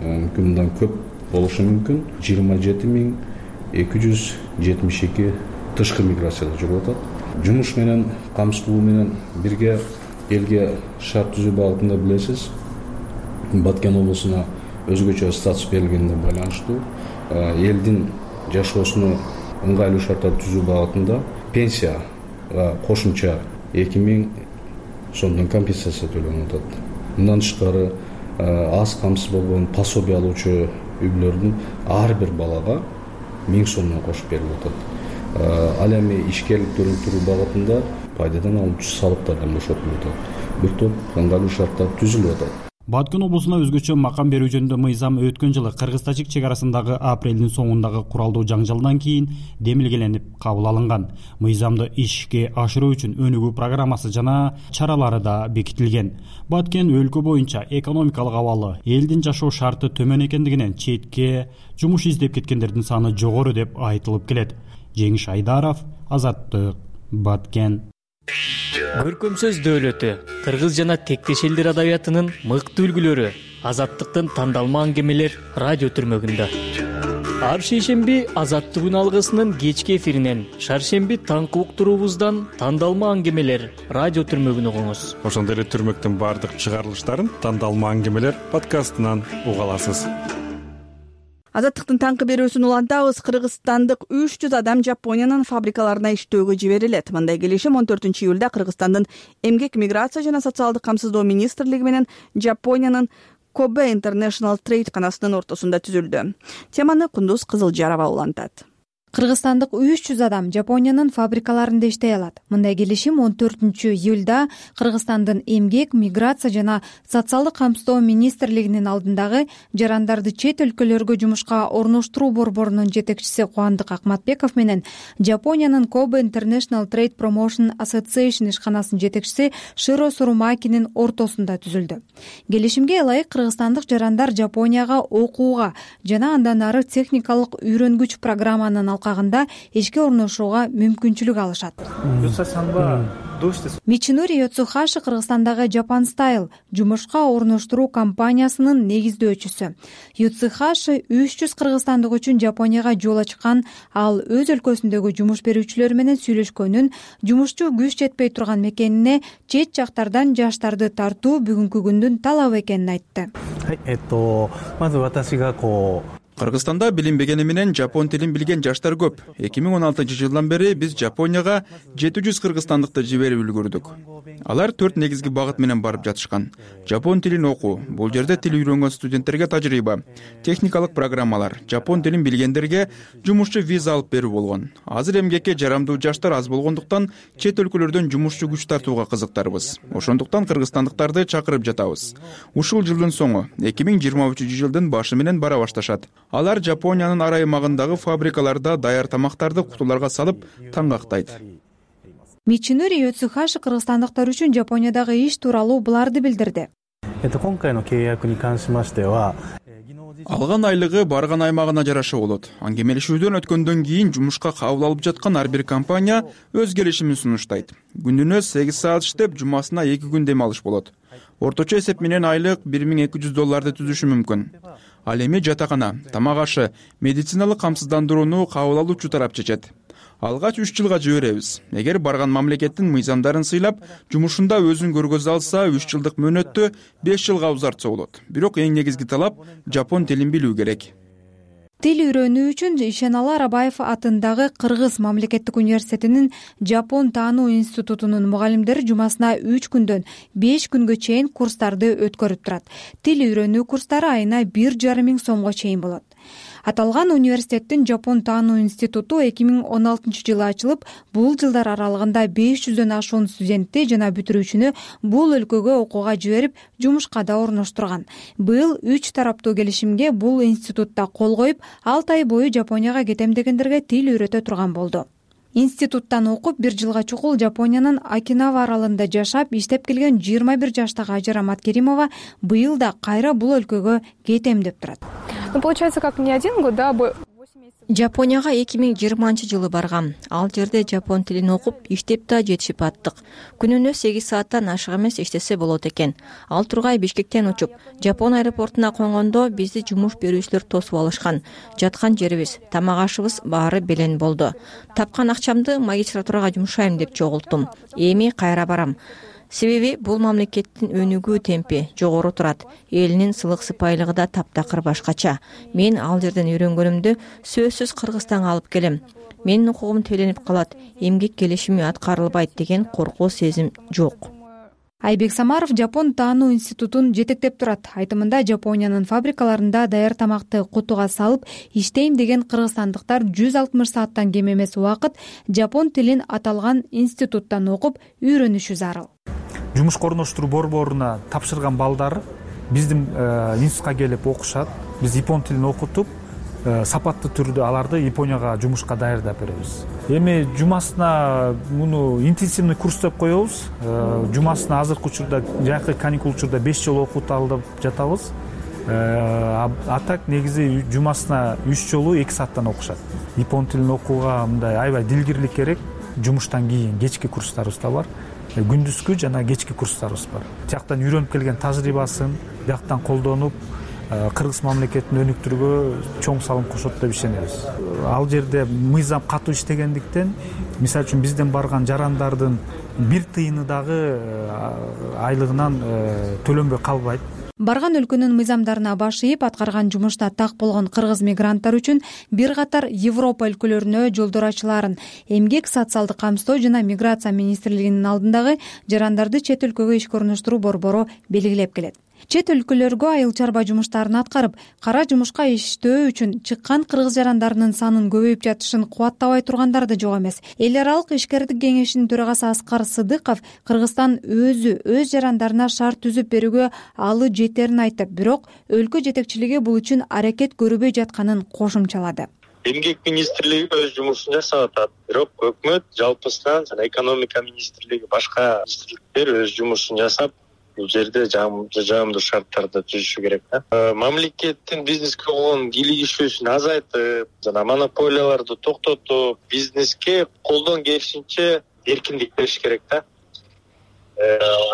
мүмкүн мындан көп болушу мүмкүн. 27.272 тышкы миграцияда жүрүп атат. Жумуш менен камсыз кылуу менен бирге элге шарт түзүү багытында билесиз, Баткен облусуна өзгөчө статус берилгенине байланыштуу элдин жашоосуна ыңгайлуу шарттар түзүү багытында пенсияга кошумча 2000 сомдон компенсация төлөнүп атат. Мындан тышкары аз камсыз болгон пособие алуучу үй-бүлөлөрдүн ар бир балага 1000 сомдон кошуп берилип атат. Ал эми ишкерликти өнүктүрүү багытында пайдадан алуучу салыктардан бошотулуп атат. Бир топ ыңгайлуу шарттар түзүлүп атат. Баткен облусуна өзгөчө макам берүү жөнүндө мыйзам өткөн жылы кыргыз-тажик чек арасындагы апрелдин соңундагы куралдуу жаңжалдан кийин демилгеленип кабыл алынган. Мыйзамды ишке ашыруу үчүн өнүгүү программасы жана чаралары да бекитилген. Баткен өлкө боюнча экономикалык абалы, элдин жашоо шарты төмөн экендигинен четке жумуш издеп кеткендердин саны жогору деп айтылып келет. Жеңиш Айдаров, Азаттык, Баткен. Көркөм сөз дөөлөтү, кыргыз жана тектеш элдер адабиятынын мыкты үлгүлөрү, Азаттыктын тандалма аңгемелер радио түрмөгүндө. Ар шейшемби Азаттык үн алгысынын кечки эфиринен, шаршемби таңкы уктуруубуздан тандалма аңгемелер радио түрмөгүн угуңуз. Ошондой эле түрмөктүн баардык чыгарылыштарын тандалма аңгемелер подкастынан уга аласыз. Азаттыктын таңкы берүүсүн улантабыз. Кыргызстандык 300 адам Жапониянын фабрикаларына иштөөгө жиберилет. Мындай келишим 14-июлда Кыргызстандын эмгек, миграция жана социалдык камсыздоо министрлиги менен Жапониянын Kobe International Trade канасынын ортосунда түзүлдү. Теманы Кундуз Кызылжарова улантат. Кыргызстандык 300 адам Жапониянын фабрикаларында иштей алат. Мындай келишим 14-июлда Кыргызстандын эмгек, миграция жана социалдык камсыздоо министрлигинин алдындагы жарандарды чет өлкөлөргө жумушка орноштуруу борборунун жетекчиси Кубандык Акматбеков менен Жапониянын Kobe International Trade Promotion Association ишканасынын жетекчиси Широ Сурумакинин ортосунда түзүлдү. Келишимге ылайык кыргызстандык жарандар Жапонияга окууга жана андан ары техникалык үйрөнгүч программанын алкагында ишке орношууга мүмкүнчүлүк алышат. Мичинури Йоцухаши Кыргызстандагы Japan Style жумушка орноштуруу компаниясынын негиздөөчүсү. Йоцухаши 300 кыргызстандык үчүн Жапонияга жол ачкан. Ал өз өлкөсүндөгү жумуш берүүчүлөр менен сүйлөшкөнүн, жумушчу күч жетпей турган мекенине чет жактардан жаштарды тартуу бүгүнкү күндүн талабы экенин айтты. Кыргызстанда билинбегени менен жапон тилин билген жаштар көп. 2016-жылдан бери биз Жапонияга 700 кыргызстандыкты жиберип үлгүрдүк. Алар 4 негизги багыт менен барып жатышкан. Жапон тилин окуу, бул жерде тил үйрөнгөн студенттерге тажрыйба, техникалык программалар, жапон тилин билгендерге жумушчу виза алып берүү болгон. Азыр эмгекке жарамдуу жаштар аз болгондуктан чет өлкөлөрдөн жумушчу күч тартууга кызыктарбыз. Ошондуктан кыргызстандыктарды чакырып жатабыз. Ушул жылдын соңу 2023-жылдын башы менен бара башташат. Алар Жапониянын ар аймагындагы фабрикаларда даяр тамактарды кутуларга салып таңгактайт. Мичинури Йоцухаши кыргызстандыктар үчүн Жапониядагы иш тууралуу буларды билдирди. Алган айлыгы барган аймагына жараша болот. Аңгемелешүүдөн өткөндөн кийин жумушка кабыл алып жаткан ар бир компания өз келишимин сунуштайт. Күнүнө 8 саат иштеп, жумасына 2 күн дем алыш болот. Орточо эсеп менен айлык $1200 түзүшү мүмкүн. Ал эми жатакана, тамак ашы, медициналык камсыздандырууну кабыл алуучу тарап чечет. Алгач 3 жылга жиберебиз. Эгер барган мамлекеттин мыйзамдарын сыйлап, жумушунда өзүн көргөзө алса, 3 жылдык мөөнөттү 5 жылга узартса болот. Бирок эң негизги талап жапон тилин билүү керек. Тил үйрөнүү үчүн Ишеналы Арабаев атындагы Кыргыз мамлекеттик университетинин Жапон таануу институтунун мугалимдери жумасына 3 күндөн 5 күнгө чейин курстарды өткөрүп турат. Тил үйрөнүү курстары айына 1,5 миң сомго чейин болот. Аталган университеттин Жапон таануу институту 2016-жылы ачылып, бул жылдар аралыгында 500дөн ашуун студентти жана бүтүрүүчүнү бул өлкөгө окууга жиберип, жумушка да орноштурган. Быйыл 3 тараптуу келишимге бул институтта кол коюп, 6 ай бою Жапонияга кетем дегендерге тил үйрөтө турган болду. Институттан окуп 1 жылга чукул Жапониянын Окинава аралында жашап, иштеп келген 21 жаштагы Ажар Аматкеримова быйыл да кайра бул өлкөгө кетем деп турат. Получается, как не 1 год, да, 8 месяцев. Жапонияга 2020-жылы баргам. Ал жерде жапон тилин окуп, иштеп да жетишип аттык. Күнүнө 8 сааттан ашык эмес иштесе болот экен. Ал тургай Бишкектен учуп, Жапон аэропортуна конгондо бизди жумуш берүүчүлөр тосуп алышкан. Жаткан жерибиз, тамак ашыбыз баары белен болду. Тапкан акчамды магистратурага жумшайм деп чогулттум. Эми кайра барам. Себеби бул мамлекеттин өнүгүү темпи жогору турат. Элинин сылык сыпайылыгы да таптакыр башкача. Мен ал жерден үйрөнгөнүмдү сөзсүз Кыргызстанга алып келем. Менин укугум төлөнүп калат, эмгек келишими аткарылбайт деген коркуу сезим жок. Айбек Самаров Жапон таануу институтун жетектеп турат. Айтымында Жапониянын фабрикаларында даяр тамакты кутуга салып иштейм деген кыргызстандыктар 160 сааттан кем эмес убакыт жапон тилин аталган институттан окуп үйрөнүшү зарыл. Жумушка орноштуруу борборуна тапшырган балдар биздин институтка келип окушат. Биз япон тилин окутуп, сапаттуу түрдө аларды Японияга жумушка даярдап беребиз. Эми жумасына муну интенсивный курс деп коебуз. Жумасына азыркы учурда, жакшы каникул учурда 5 жолу окутуп алып жатабыз. А так негизи жумасына 3 жолу 2 сааттан окушат. Япон тилин окууга мындай аябай дилгирлик керек. Жумуштан кийин кечки курстарыбыз да бар. Күндүзгү жана кечки курстарыбыз бар. Тияктан үйрөнүп келген тажрыйбасын бияктан колдонуп, Кыргыз мамлекетин өнүктүрүүгө чоң салым кошот деп ишенебиз. Ал жерде мыйзам катуу иштегендиктен, мисалы үчүн бизден барган жарандардын 1 тыйыны дагы айлыгынан төлөнбөй калбайт. Барган өлкөнүн мыйзамдарына баш ийип аткарган жумушта так болгон кыргыз мигранттар үчүн бир катар Европа өлкөлөрүнө жолдор ачылаарын Эмгек социалдык камсыздоо жана миграция министрлигинин алдындагы жарандарды чет өлкөгө ишке орноштуруу борбору белгилеп келет. Чет өлкөлөргө айыл чарба жумуштарын аткарып, кара жумушка иштөө үчүн чыккан кыргыз жарандарынын санын көбөйүп жатышын кубаттабай тургандар да жок эмес. Эл аралык ишкердик кеңешинин төрагасы Аскар Сыдыков Кыргызстан өз жарандарына шарт түзүп берүүгө алы жетерин айтып, бирок өлкө жетекчилиги бул үчүн аракет көрбөй жатканын кошумчалады. Эмгек министрлиги өз жумушун жасап атат. Бирок өкмөт жалпысынан жана экономика министрлиги башка министрликтер өз жумушун жасап, бул жерде жаамдуу шарттарды түзүшү керек да. Мамлекеттин бизнеске болгон кийлигишүүсүн азайтып, жана монополияларды токтотуп, бизнеске колдон келишинче эркиндик бериш керек да.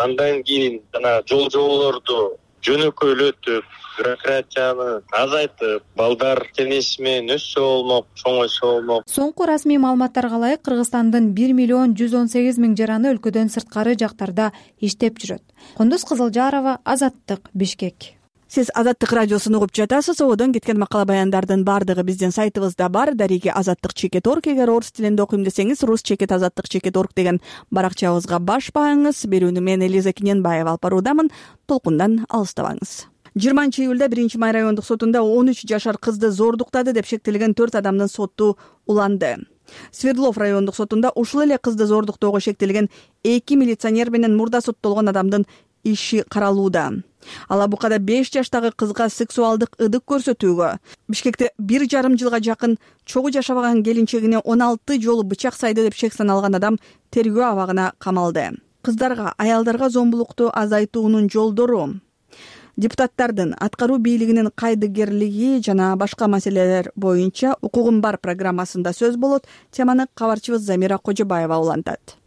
Андан кийин жана жол-жоболорду жөнөкөйлөтүп, бюрократияны азайтып, балдар тенеси менен өссө болмок, чоңойсо болмок. Соңку расмий маалыматтарга ылайык Кыргызстандын 1,118,000 жараны өлкөдөн сырткары жактарда иштеп жүрөт. Кундуз Кызылжарова, Азаттык, Бишкек. Сиз Азаттык радиосун угуп жатасыз. Одон кеткен макала баяндардын баардыгы биздин сайтыбызда бар. Дареги azattik.org. Эгер орус тилинде окуйм десеңиз, rus-azattik.org деген баракчабызга баш бааңыз. Берүүнү мен Элиза Кененбаева алып баруудамын. Толкундан алыстабаңыз. 20-июлда 1-Май райондук сотунда 13 жашар кызды зордуктады деп шектелген 4 адамдын соту уланды. Свердлов райондук сотунда ушул эле кызды зордуктоого шектелген 2 милиционер менен мурда соттолгон адамдын иши каралууда. Алабукада 5 жаштагы кызга сексуалдык ыдык көрсөтүүгө, Бишкекте 1,5 жылга жакын чогуу жашабаган келинчегине 16 жолу бычак сайды деп шек саналган адам тергөө абагына камалды. Кыздарга, аялдарга зомбулукту азайтуунун жолдору, депутаттардын аткаруу бийлигинин кайдыгерлиги жана башка маселелер боюнча укугум бар программасында сөз болот. Теманы кабарчыбыз Замира Кожобаева улантат.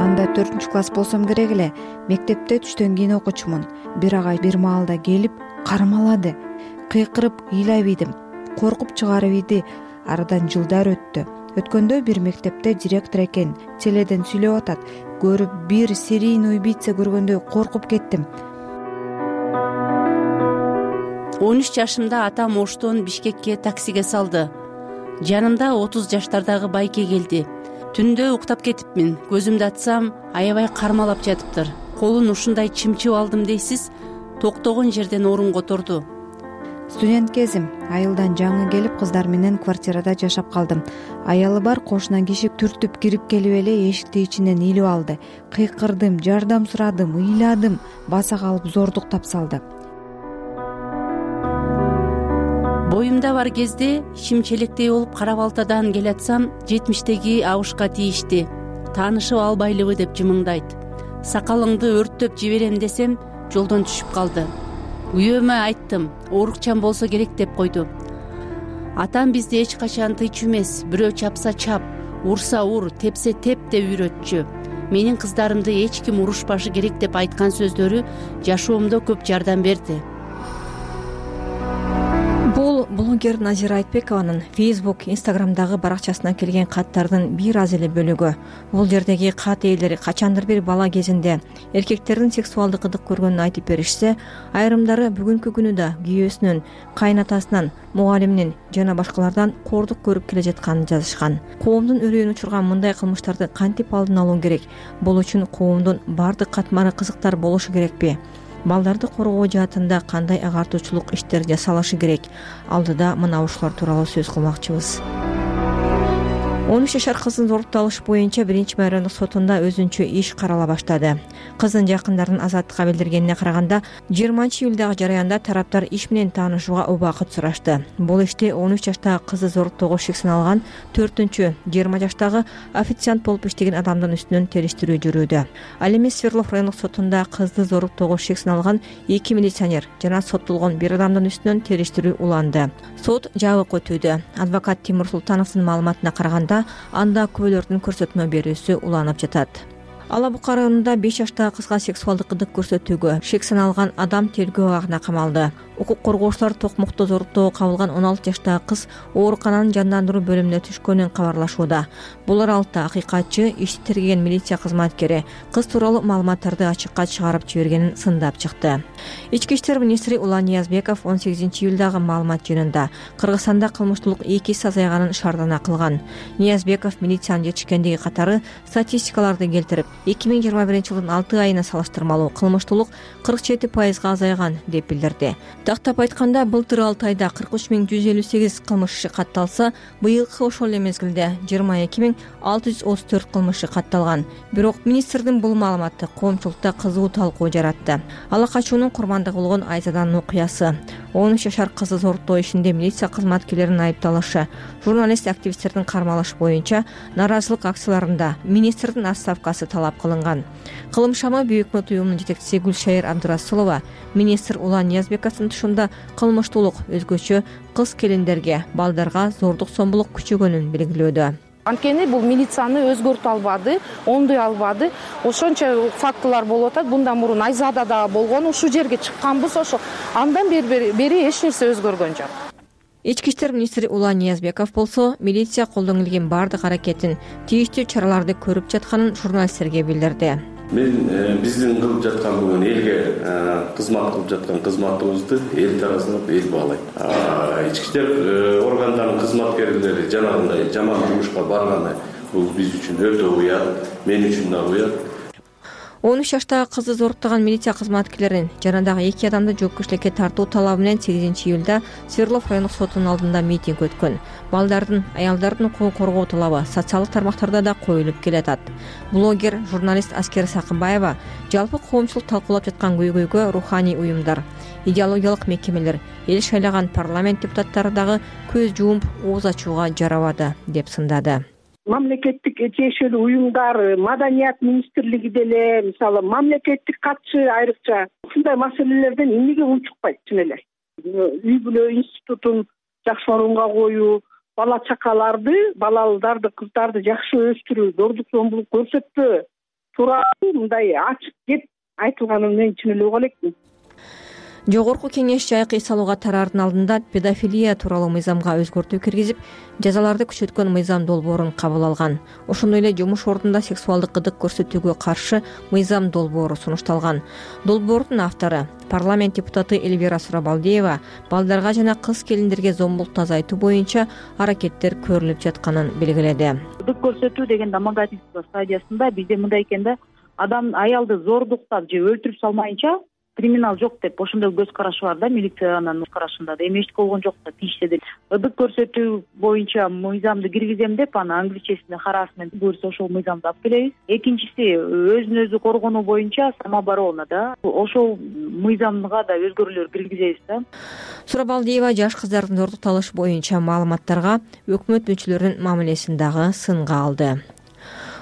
Анда 4-класс болсом керек эле. Мектепте түштөн кийин окучумун. Бир агай бир маалда келип кармалады. Кыйкырып ыйлап ийдим. Коркуп чыгарып ийди. Арадан жылдар өттү. Өткөндө бир мектепте директор экен теледен сүйлөп атат. Көрүп бир серийный убийца көргөндөй коркуп кеттим. 13 жашымда атам Оштон Бишкекке таксиге салды. Жанымда 30 жаштардагы байке келди. Түндө уктап кетипмин. Көзүмдү ачсам, аябай кармалап жатыптыр. Колун ушундай чымчып алдым дейсиз, токтогон жерден орун которду. Студент кезим. Айылдан жаңы келип кыздар менен квартирада жашап калдым. Аялы бар кошуна киши түртүп кирип келип эле эшикти ичинен илип алды. Кыйкырдым, жардам сурадым, ыйладым, баса калып зордуктап салды. Боюмда бар кезде чимчелектей болуп кара балтадан келатсам, 70-теги абышка тийишти. Таанышып албайлыбы деп жымыңдайт. Сакалыңды өрттөп жиберем десем, жолдон түшүп калды. Үйөмө айттым, оорукчан болсо керек деп койду. Атам бизди эч качан тыйчу эмес, бирөө чапса чап, урса ур, тепсе теп деп үйрөтчү. Менин кыздарымды эч ким урушпашы керек деп айткан сөздөрү жашоомдо көп жардам берди. Бул блогер Назира Айтбекованын Facebook, Instagramдагы баракчасына келген каттардын бир аз эле бөлүгү. Бул жердеги кат ээлери качандыр бир бала кезинде эркектердин сексуалдык ыдык көргөнүн айтып беришсе, айрымдары бүгүнкү күнү да күйөөсүнүн, кайнатасынан, мугалиминин жана башкалардан кордук көрүп келе жатканын жазышкан. Коомдун үрөйүн учурган мындай кылмыштарды кантип алдын алуу керек? Бул үчүн коомдун бардык катмары кызыктар болушу керекпи? Балдарды коргоо жаатында кандай агартуучулук иштер жасалышы керек? Алдыда мына ушулар тууралуу сөз кылмакчыбыз. 13 жашар кыздын зордукталышы боюнча 1-Май райондук сотунда өзүнчө иш карала баштады. Кыздын жакындарынын Азаттыкка билдиргенине караганда, 20-июлдагы жараянда тараптар иш менен таанышууга убакыт сурашты. Бул иште 13 жаштагы кызды зордуктоого шек саналган 4-20 жаштагы официант болуп иштеген адамдын үстүнөн териштирүү жүрүүдө. Ал эми Свердлов райондук сотунда кызды зордуктоого шек саналган 2 милиционер жана соттолгон бир адамдын үстүнөн териштирүү уланды. Сот жабык өтүүдө. Адвокат Тимур Султановдун маалыматына караганда, анда күбөлөрдүн көрсөтмө берүүсү уланып жатат. Алабука районунда 5 жаштагы кызга сексуалдык ыдык көрсөтүүгө шек саналган адам тергөө абагына камалды. Укук коргоочулар токмокто зордуктоого кабылган 16 жаштагы кыз оорукананын жандандыруу бөлүмүнө түшкөнүн кабарлашууда. Бул аралыкта акыйкатчы ишти тергеген милиция кызматкери кыз тууралуу маалыматтарды ачыкка чыгарып жибергенин сындап чыкты. Ички иштер министри Улан Ниязбеков 18-июлдагы маалымат жыйынында Кыргызстанда кылмыштуулук 2 эсе азайганын шаардана кылган. Ниязбеков милициянын жетишкендиги катары статистикаларды келтирип, 2021-жылдын 6 айына салыштырмалуу кылмыштуулук 47% азайган деп билдирди. Тактап айтканда, былтыр 6 айда 43.158 кылмыш иши катталса, быйылкы ошол эле мезгилде 22.634 кылмыш иши катталган. Бирок министрдин бул маалыматы коомчулукта кызуу талкуу жаратты. Ала качуунун курмандыгы болгон Айзаданын окуясы, 13 жашар кызды зордуктоо ишинде милиция кызматкерлеринин айыпталышы, журналист активисттердин кармалышы боюнча нааразылык акцияларында министрдин отставкасы талап кылынган. Кылым шамы Büyük Mut уюмунун жетекчиси Гүлшайыр Абдурасулова министр Улан Ниязбековдун тушунда кылмыштуулук өзгөчө кыз келиндерге, балдарга зордук зомбулук күчөгөнүн белгилөөдө. Анткени бул милицияны өзгөртө албады, оңдой албады. Ошончо фактылар болуп атат. Bundan мурун Айзада да болгон, ушул жерге чыкканбыз, ошо андан бери эч нерсе өзгөргөн жок. Ички иштер министри Улан Ниязбеков болсо, милиция колдонулган бардык аракетин, тийиштүү чараларды көрүп жатканын журналисттерге билдирди. Биздин кылып жаткан бүгүн элге кызмат кылып жаткан кызматыбызды эл тараптан эл баалайт. Ички иштер органдарынын кызматкерлери жанагындай жаман жумушка барганы бул биз үчүн өтө уят, мен үчүн да уят. 13 жаштагы кызды зоруктаган милиция кызматкерлерин жана дагы 2 адамды жоопкерчиликке тартуу талабы менен 8-июлда Свердлов райондук сотунун алдында митинг өткөн. Балдардын, аялдардын укугун коргоо талабы социалдык тармактарда да коюлуп келатат. Блогер, журналист Аскер Сакыбаева жалпы коомчулук талкуулап жаткан көйгөйгө руханий уюмдар, идеологиялык мекемелер, эл шайлаган парламент депутаттары дагы көз жумуп ооз ачууга жарабады деп сындады. Мамлекеттик тиешелүү уюмдар, маданият министрлиги деле, мисалы мамлекеттик катчы айрыкча ушундай маселелерден эмнеге унчукпайт чын эле. Үй бүлө институтун жакшы орунга коюу, бала чакаларды, балаларды, кыздарды жакшы өстүрүү, зордук зомбулук көрсөтпөө тууралуу мындай ачык кеп айтылганын мен чын эле уга элекмин. Жогорку кеңеш жайкы эс алууга тараардын алдында педофилия тууралуу мыйзамга өзгөртүү киргизип, жазаларды күчөткөн мыйзам долбоорун кабыл алган. Ошондой эле жумуш ордунда сексуалдык кыдык көрсөтүүгө каршы мыйзам долбоору сунушталган. Долбоордун автору парламент депутаты Эльвира Сурабалдиева балдарга жана кыз келиндерге зомбулукту азайтуу боюнча аракеттер көрүлүп жатканын белгиледи. Кыдык көрсөтүү деген домогательство стадиясында бизде мындай экен да, адам аялды зордуктап же өлтүрүп салмайынча криминал жок деп ошондой көз карашы бар да, милициянын көз карашында да. Эми эч болгон жок да, тийишсе деле. Ыдык көрсөтүү боюнча мыйзамды киргизем деп, аны англисчесинде харассмент буюрса ошол мыйзамды алып келебиз. Экинчиси, өзүн өзү коргонуу боюнча самооборона да, ошол мыйзамга да өзгөрүүлөр киргизебиз да. Сурабалдиева жаш кыздардын зордукталышы боюнча маалыматтарга өкмөт мүчөлөрүнүн мамилесин дагы сынга алды.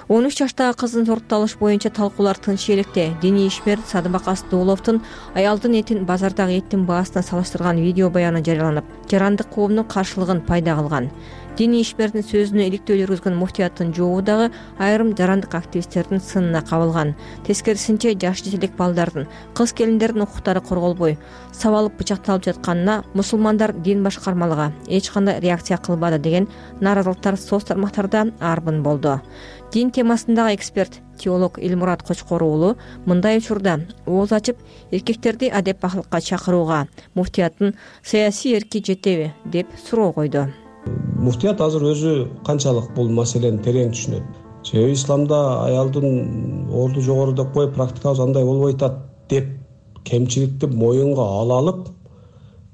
13 жаштагы кыздын зордукталышы боюнча талкуулар тынч электе. Диний ишмер Садыбак Асдууловдун аялдын этин базардагы эттин баасына салыштырган видео баяны жарыяланып, жарандык коомдун каршылыгын пайда кылган. Диний ишмердин сөзүнө иликтөө жүргүзгөн муфтияттын жообу дагы айрым жарандык активисттердин сынына кабылган. Тескерисинче жаш жетелек балдардын, кыз келиндердин укуктары корголбой, сабалып бычакталып жатканына мусулмандар дин башкармалыгы эч кандай реакция кылбады деген нааразылыктар соц тармактарда арбын болду. Дин темасындагы эксперт, теолог Элмурат Кочкор уулу мындай учурда ооз ачып, эркектерди адеп-акылыкка чакырууга муфтияттын саясий эрки жетеби деп суроо койду. Муфтият азыр өзү канчалык бул маселени терең түшүнөт. Себеби исламда аялдын орду жогору деп коюп, практикабыз андай болбой атат деп кемчиликти моюнга ала алып,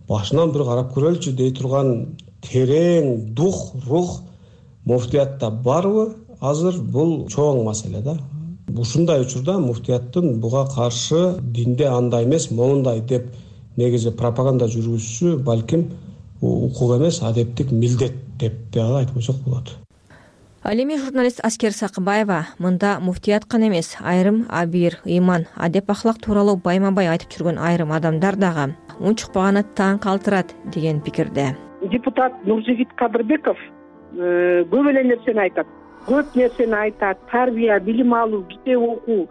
башынан бир карап көрөлүчү дей турган терең дух, рух муфтиятта барбы? Азыр бул чоң маселе да. Ушундай учурда муфтияттын буга каршы динде андай эмес, моундай деп негизи пропаганда жүргүзүшү балким укук эмес, адептик милдет деп дагы айтып койсок болот. Ал эми журналист Аскер Сакыбаева мында муфтият гана эмес, айрым абийир, ыйман, адеп-акылак тууралуу байма-бай айтып жүргөн айрым адамдар дагы унчукпаганы таң калтырат деген пикирде. Депутат Нуржигит Кадырбеков көп эле нерсени айтат. Көп нерсени айтат, тарбия, билим алуу, китеп окуу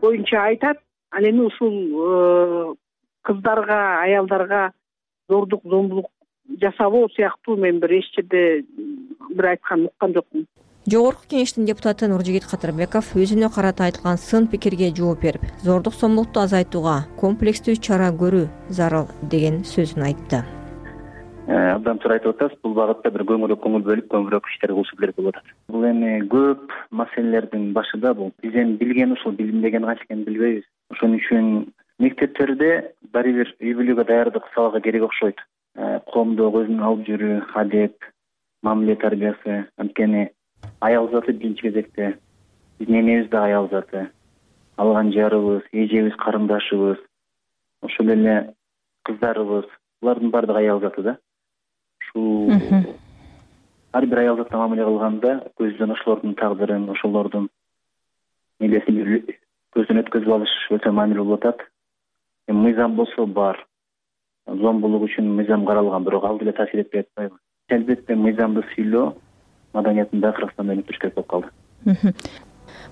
боюнча айтат. Ал эми ушул кыздарга, аялдарга зордук, зомбулук жасабоо сыяктуу мен бир эч жерде бир айтканын уккан жокмун. Жогорку кеңештин депутаты Нуржигит Кадырбеков өзүнө карата айтылган сын пикирге жооп берип, зордук зомбулукту азайтууга комплекстүү чара көрүү зарыл деген сөзүн айтты. Абдан туура айтып атасыз. Бул багытта бир көңүл бөлүп, көбүрөөк иштер кылышы керек болуп атат. Бул эми көп маселелердин башында бул. Биз эми билген ушул, билинбеген канча экенин билбейбиз. Ошон үчүн мектептерде баары бир үй бүлөгө даярдык сабагы керек окшойт. Коомдо өзүн алып жүрүү, адеп, мамиле тарбиясы, анткени аял заты биринчи кезекте биздин энебиз да аял заты. Алган жарыбыз, эжебиз, карындашыбыз, ошол эле кыздарыбыз, булардын баардыгы аял заты да. Ушул ар бир аял затына мамиле кылганда көздөн ошолордун тагдырын, ошолордун милесин көздөн өткөзүп алыш өтө маанилүү болуп атат. Мыйзам болсо бар. Зомбулук үчүн мыйзам каралган, бирок ал деле таасир этпей атпайбы? Албетте мыйзамды сыйлоо маданиятында Кыргызстанда өнүктүрүш керек болуп калды.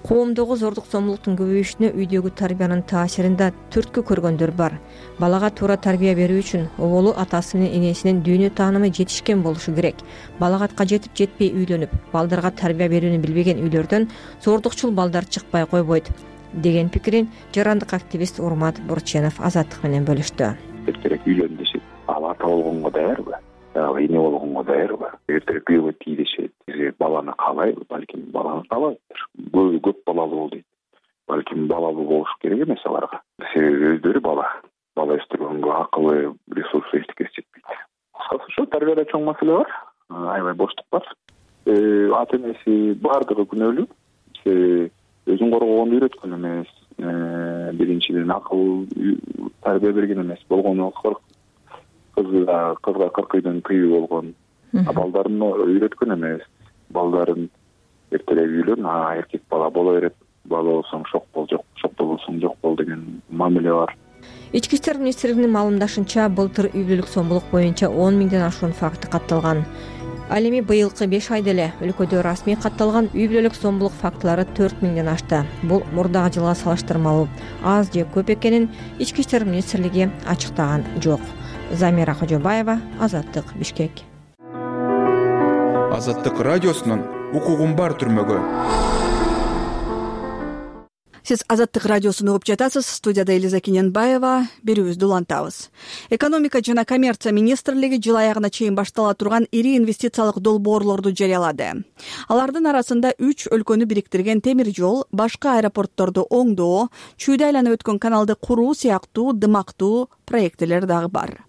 Коомдогу зордук зомбулуктун көбөйүшүнө үйдөгү тарбиянын таасирин да түрткү көргөндөр бар. Балага туура тарбия берүү үчүн оболу атасы менен энесинин дүйнө таанымы жетишкен болушу керек. Балагатка жетип жетпей үйлөнүп, балдарга тарбия берүүнү билбеген үйлөрдөн зордукчул балдар чыкпай койбойт. деген пикирин жарандык активист Урмат Бурченов Азаттык менен бөлүштү. Эртерээк үйлөн дешет. Ал ата болгонго даярбы? Эне болгонго даярбы? Эртерээк күйөөгө tii дешет. Баланы каалайбы? Балким баланы каалабайдыр. Көп балалуу бол дейт. Балким балалуу болуш керек эмес аларга. Себеби өздөрү бала өстүргөнгө акылы, ресурсы эчтекеси жетпейт. Кыскасы ошо тарбияда чоң маселе бар. Аябай боштук бар. Ата энеси бардыгы күнөөлүү. Өзүн коргогонду үйрөткөн эмес. Биринчиден акыл тарбия берген эмес. Болгону кызга 40 үйдөн тыюу болгон. Балдарын үйрөткөн эмес. Балдарын эртерээк үйлөн, эркек бала боло берет. Бала болсоң шок бол, шок болсоң жок бол деген мамиле бар. Ички иштер министрлигинин маалымдашынча, былтыр үй бүлөлүк сомдулук боюнча 10 миңден ашуун факты катталган. Ал эми быйылкы 5 айда эле өлкөдө расмий катталган үй бүлөлүк сомдулук фактылары 4 миңден ашты. Бул мурдагы жылга салыштырмалуу аз же көп экенин Ички иштер министрлиги ачыктаган жок. Замира Кожобаева, Азаттык, Бишкек. Азаттык радиосунун укугум бар түрмөгө. Сиз Азаттык радиосун угуп жатасыз. Студияда Элиза Кененбаева. Берүүбүздү улантабыз. Экономика жана коммерция министрлиги жыл аягына чейин баштала турган ири инвестициялык долбоорлорду жарыялады. Алардын арасында 3 өлкөнү бириктирген темир жол, башка аэропортторду оңдоо, чүйдү айланып өткөн каналды куруу сыяктуу дымактуу проектилер дагы бар.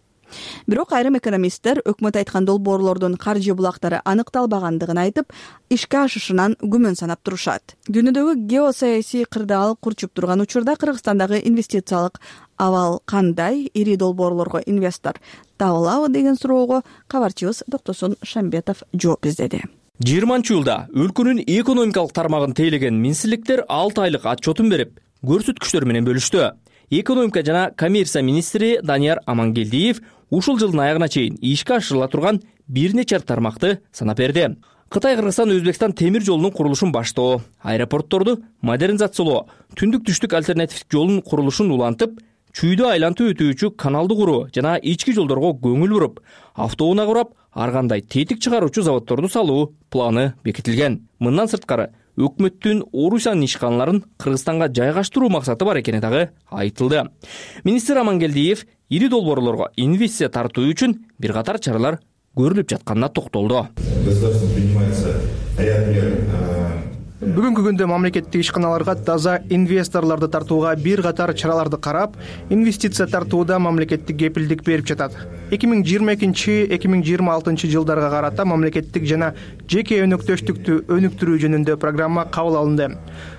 Бирок айрым экономисттер өкмөт айткан долбоорлордун каржы булактары аныкталбагандыгын айтып, ишке ашышынан күмөн санап турушат. Дүйнөдөгү геосаясий кырдаал курчуп турган учурда Кыргызстандагы инвестициялык абал кандай? Ири долбоорлорго инвестор табылабы деген суроого кабарчыбыз Доктосун Шамбетов жооп издеди. 20-жылда өлкөнүн экономикалык тармагын тейлеген министрликтер 6 айлык отчетун берип, көрсөткүчтөр менен бөлүштү. Экономика жана коммерция министри Данияр Амангелдиев ушул жылдын аягына чейин ишке ашырыла турган бир нече тармакты санап берди. Кытай, Кыргызстан, Өзбекстан темир жолунун курулушун баштоо, аэропортторду модернизациялоо, түндүк-түштүк альтернативдик жолдун курулушун улантып, чүйдү айлантып өтүүчү каналды куруу жана ички жолдорго көңүл буруп, автоунаа курап, ар кандай тетик чыгаруучу заводдорду салуу планы бекитилген. Мындан сырткары өкмөттүн Орусиянын ишканаларын Кыргызстанга жайгаштыруу максаты бар экени дагы айтылды. Министр Амангелдиев ири долбоорлорго инвестиция тартуу үчүн бир катар чаралар көрүлүп жатканына токтолду. Бүгүнкү күндө мамлекеттик ишканаларга таза инвесторлорду тартууга бир катар чараларды карап, инвестиция тартууда мамлекеттик кепилдик берип жатат. 2022-2026 жылдарга карата мамлекеттик жана жеке өнөктөштүктү өнүктүрүү жөнүндө программа кабыл алынды.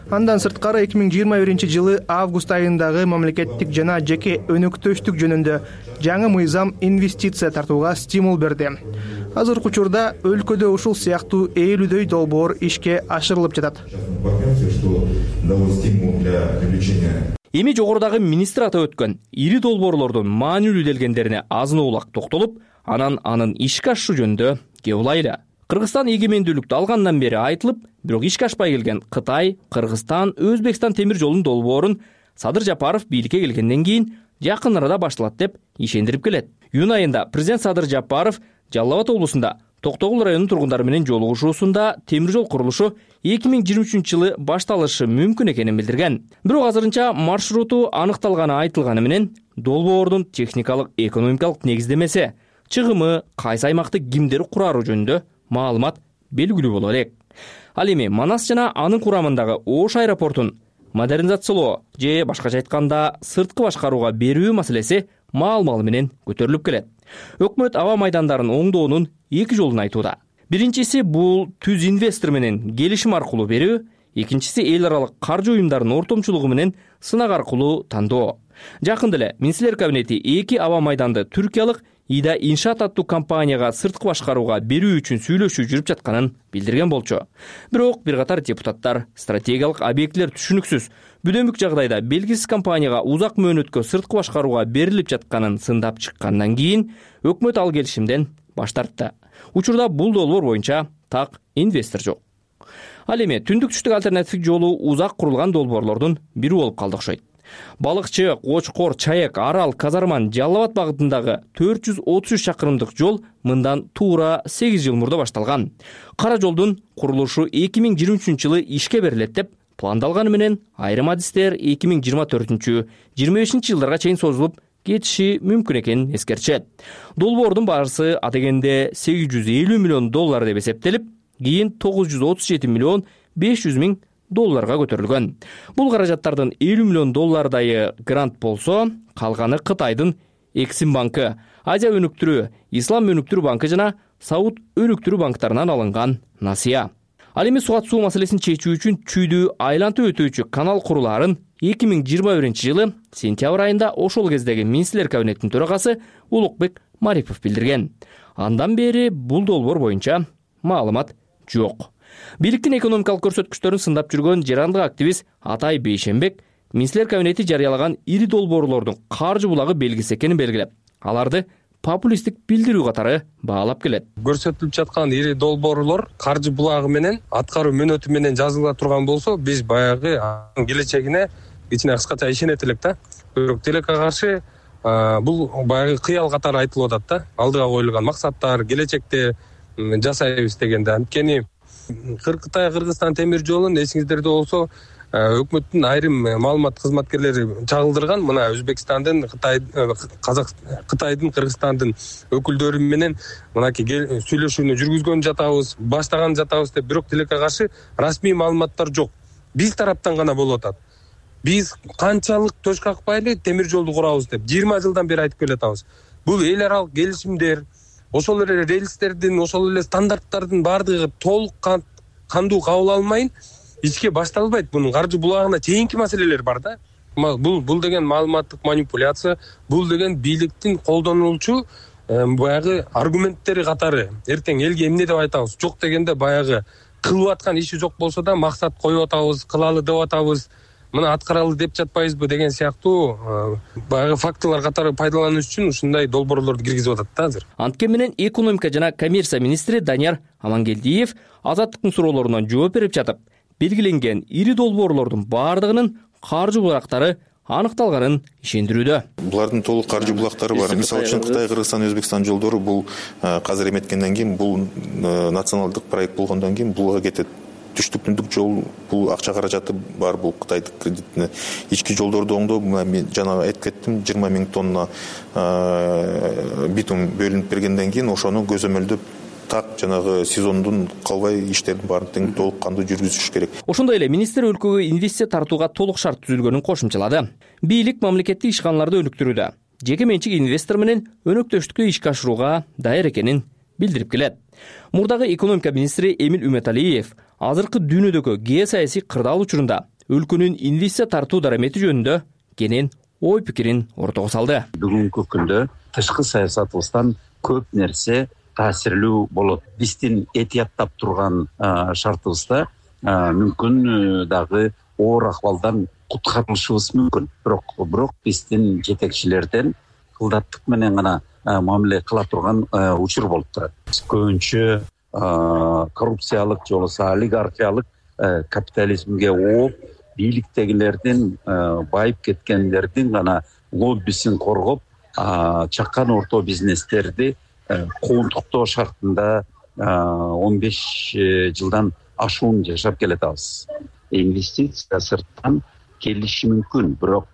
Андан сырткары 2021 жылы август айындагы мамлекеттик жана жеке өнөктөштүк жөнүндө жаңы мыйзам инвестиция тартууга стимул берди. Азыркы учурда өлкөдө ушул сыяктуу 50дөй долбоор ишке ашырылып жатат. Эми жогорудагы министр атап өткөн ири долбоорлордун маанилүү делгендерине азын-оолак токтолуп, анын ишке ашышы жөнүндө кеп улайлы. Кыргызстан эгемендүүлүктү алгандан бери айтылып, бирок ишке ашпай келген Кытай, Кыргызстан, Өзбекстан темир жолунун долбоорун Садыр Жапаров бийликке келгенден кийин жакын арада башталат деп ишендирип келет. Июнь айында президент Садыр Жапаров Жалал Абад облусунда Токтогул районунун тургундары менен жолугушуусунда темир жол курулушу 2023 жылы башталышы мүмкүн экенин билдирген. Бирок азырынча маршруту аныкталганы айтылганы менен долбоордун техникалык экономикалык негиздемеси, чыгымы, кайсы аймакты кимдер курары жөнүндө маалымат белгилүү боло элек. Ал эми Манас жана анын курамындагы Ош аэропортун модернизациялоо же башкача айтканда сырткы башкарууга берүү маселеси маал-мал менен көтөрүлүп келет. Өкмөт аба майдандарын оңдоонун 2 жолун айтууда. Биринчиси бул түз инвестор менен келишим аркылуу берүү, экинчиси эл аралык каржы уюмдарынын ортомчулугу менен сынак аркылуу тандоо. Жакында эле министрлер кабинети 2 аба майданды түркиялык Ида Иншаат аттуу компанияга сырткы башкарууга берүү үчүн сүйлөшүү жүрүп жатканын билдирген болчу. Бирок бир катар депутаттар стратегиялык объектилер түшүнүксүз, бүдөмүк жагдайда белгисиз компанияга узак мөөнөткө сырткы башкарууга берилип жатканын сындап чыккандан кийин өкмөт ал келишимден баш тартты. Учурда бул долбоор боюнча так инвестор жок. Ал эми түндүк-түштүк альтернативдик жолу узак курулган долбоорлордун бири болуп калды окшойт. Балыкчы, Кочкор, Чаек, Арал, Казарман, Жалал Абад багытындагы 433 чакырымдык жол мындан туура 8 жыл мурда башталган. Кара жолдун курулушу 2023 жылы ишке берилет деп пландалганы менен айрым адистер 2024-25 жылдарга чейин созулуп кетиши мүмкүн экенин эскертишет. Долбоордун баарысы адегенде $850 миллион деп эсептелип, кийин $937 миллион $500 миң көтөрүлгөн. Бул каражаттардын $50 миллион грант болсо, калганы Кытайдын Эксим банкы, Азия өнүктүрүү, Ислам өнүктүрүү банкы жана Сауд өнүктүрүү банктарынан алынган насыя. Ал эми сугат суу маселесин чечүү үчүн чүйдү айлантып өтүүчү канал курулаарын 2021 жылы сентябрь айында ошол кездеги министрлер кабинетинин төрагасы Улукбек Марипов билдирген. Андан бери бул долбоор боюнча маалымат жок. Бийликтин экономикалык көрсөткүчтөрүн сындап жүргөн жерандык активист Атай Бейшенбек министрлер кабинети жарыялаган ири долбоорлордун каржы булагы белгиси экенин белгилеп, аларды популисттик билдирүү катары баалап келет. Көрсөтүлүп жаткан ири долбоорлор каржы булагы менен, аткаруу мөөнөтү менен жазыла турган болсо, биз баягы келечегине кичине кыскача ишенет элек да. Бирок тилекке каршы бул баягы кыял катары айтылып атат да. Алдыга коюлган максаттар, келечекте жасайбыз дегенде. Анткени Кытай-Кыргызстан темир жолун эсиңиздерде болсо, өкмөттүн айрым маалымат кызматкерлери чагылдырган. Мына Өзбекстандын, Кытайдын, Кыргызстандын өкүлдөрү менен мынакей сүйлөшүүнү жүргүзгөн жатабыз, баштаган жатабыз деп, бирок тилекке каршы расмий маалыматтар жок. Биз тараптан гана болуп атат. Биз канчалык төш какпайлы темир жолду курабыз деп 20 жылдан бери айтып келатабыз. Бул эл аралык келишимдер, ошол эле рельстердин, ошол эле стандарттардын баардыгы толук кандуу кабыл алынбайын ичке башталбайт. Бунун каржы булагына чейинки маселелер бар да. Бул деген маалыматтык манипуляция, бул деген бийликтин колдонулчу баягы аргументтери катары. Эртең элге эмне деп айтабыз? Жок дегенде баягы кылып аткан иши жок болсо да максат коюп атабыз, кылалы деп атабыз. Мына аткаралы деп жатпайбызбы деген сыяктуу баягы фактылар катары пайдалануу үчүн ушундай долбоорлорду киргизип атат да азыр. Анткени менен экономика жана коммерция министри Данияр Амангелдиев Азаттыктын суроолоруна жооп берип жатып, белгиленген ири долбоорлордун баардыгынын каржы булактары аныкталганын ишендирүүдө. Булардын толук каржы булактары бар. Мисалы үчүн Кытай, Кыргызстан, Өзбекстан жолдору бул казыр эметкенден кийин, бул националдык проект болгондон кийин булга кетет. Түштүк-түндүк жол бул акча каражаты бар, бул Кытайдын кредитине. Ички жолдорду оңдоо, мен жана айтып кеттим, 20 миң тонна битум бөлүнүп бергенден кийин ошону көзөмөлдөп так жанагы сезондун калбай иштердин баарын тең толук кандуу жүргүзүш керек. Ошондой эле министр өлкөгө инвестиция тартууга толук шарт түзүлгөнүн кошумчалады. Бийлик мамлекеттик ишканаларды өнүктүрүүдө жеке менчик инвестор менен өнөктөштүктү ишке ашырууга даяр экенин билдирип келет. Мурдагы экономика министри Эмил Үмөталиев азыркы дүйнөдөгү геосаясий кырдаал учурунда өлкөнүн инвестиция тартуу дарамети жөнүндө кенен ой пикирин ортого салды. Бүгүнкү күндө тышкы саясатыбыздан көп нерсе таасирлүү болот. Биздин этияттап турган шартыбызда мүмкүн дагы оор акыбалдан куткарылышыбыз мүмкүн. Бирок биздин жетекчилерден кылдаттык менен гана мамиле кыла турган учур болуп турат. Көбүнчө коррупциялык же болбосо олигархиялык капитализмге ооп, бийликтегилердин байып кеткендердин гана лоббисин коргоп, чакан орто бизнестерди коомдуктоо шартында 15 жылдан ашуун жашап келатабыз. Инвестиция сырттан келиши мүмкүн, бирок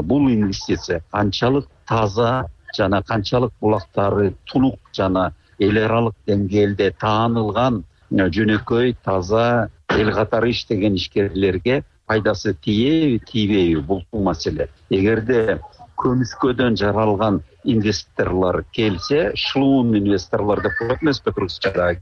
бул инвестиция канчалык таза жана канчалык булактары тунук жана эл аралык деңгээлде таанылган жөнөкөй таза эл катары иштеген ишкерлерге пайдасы тийеби тийбейби, бул маселе. Эгерде көмүскөдөн жаралган инвесторлор келсе, шлуун инвесторлор деп коет эмеспи кыргызчада.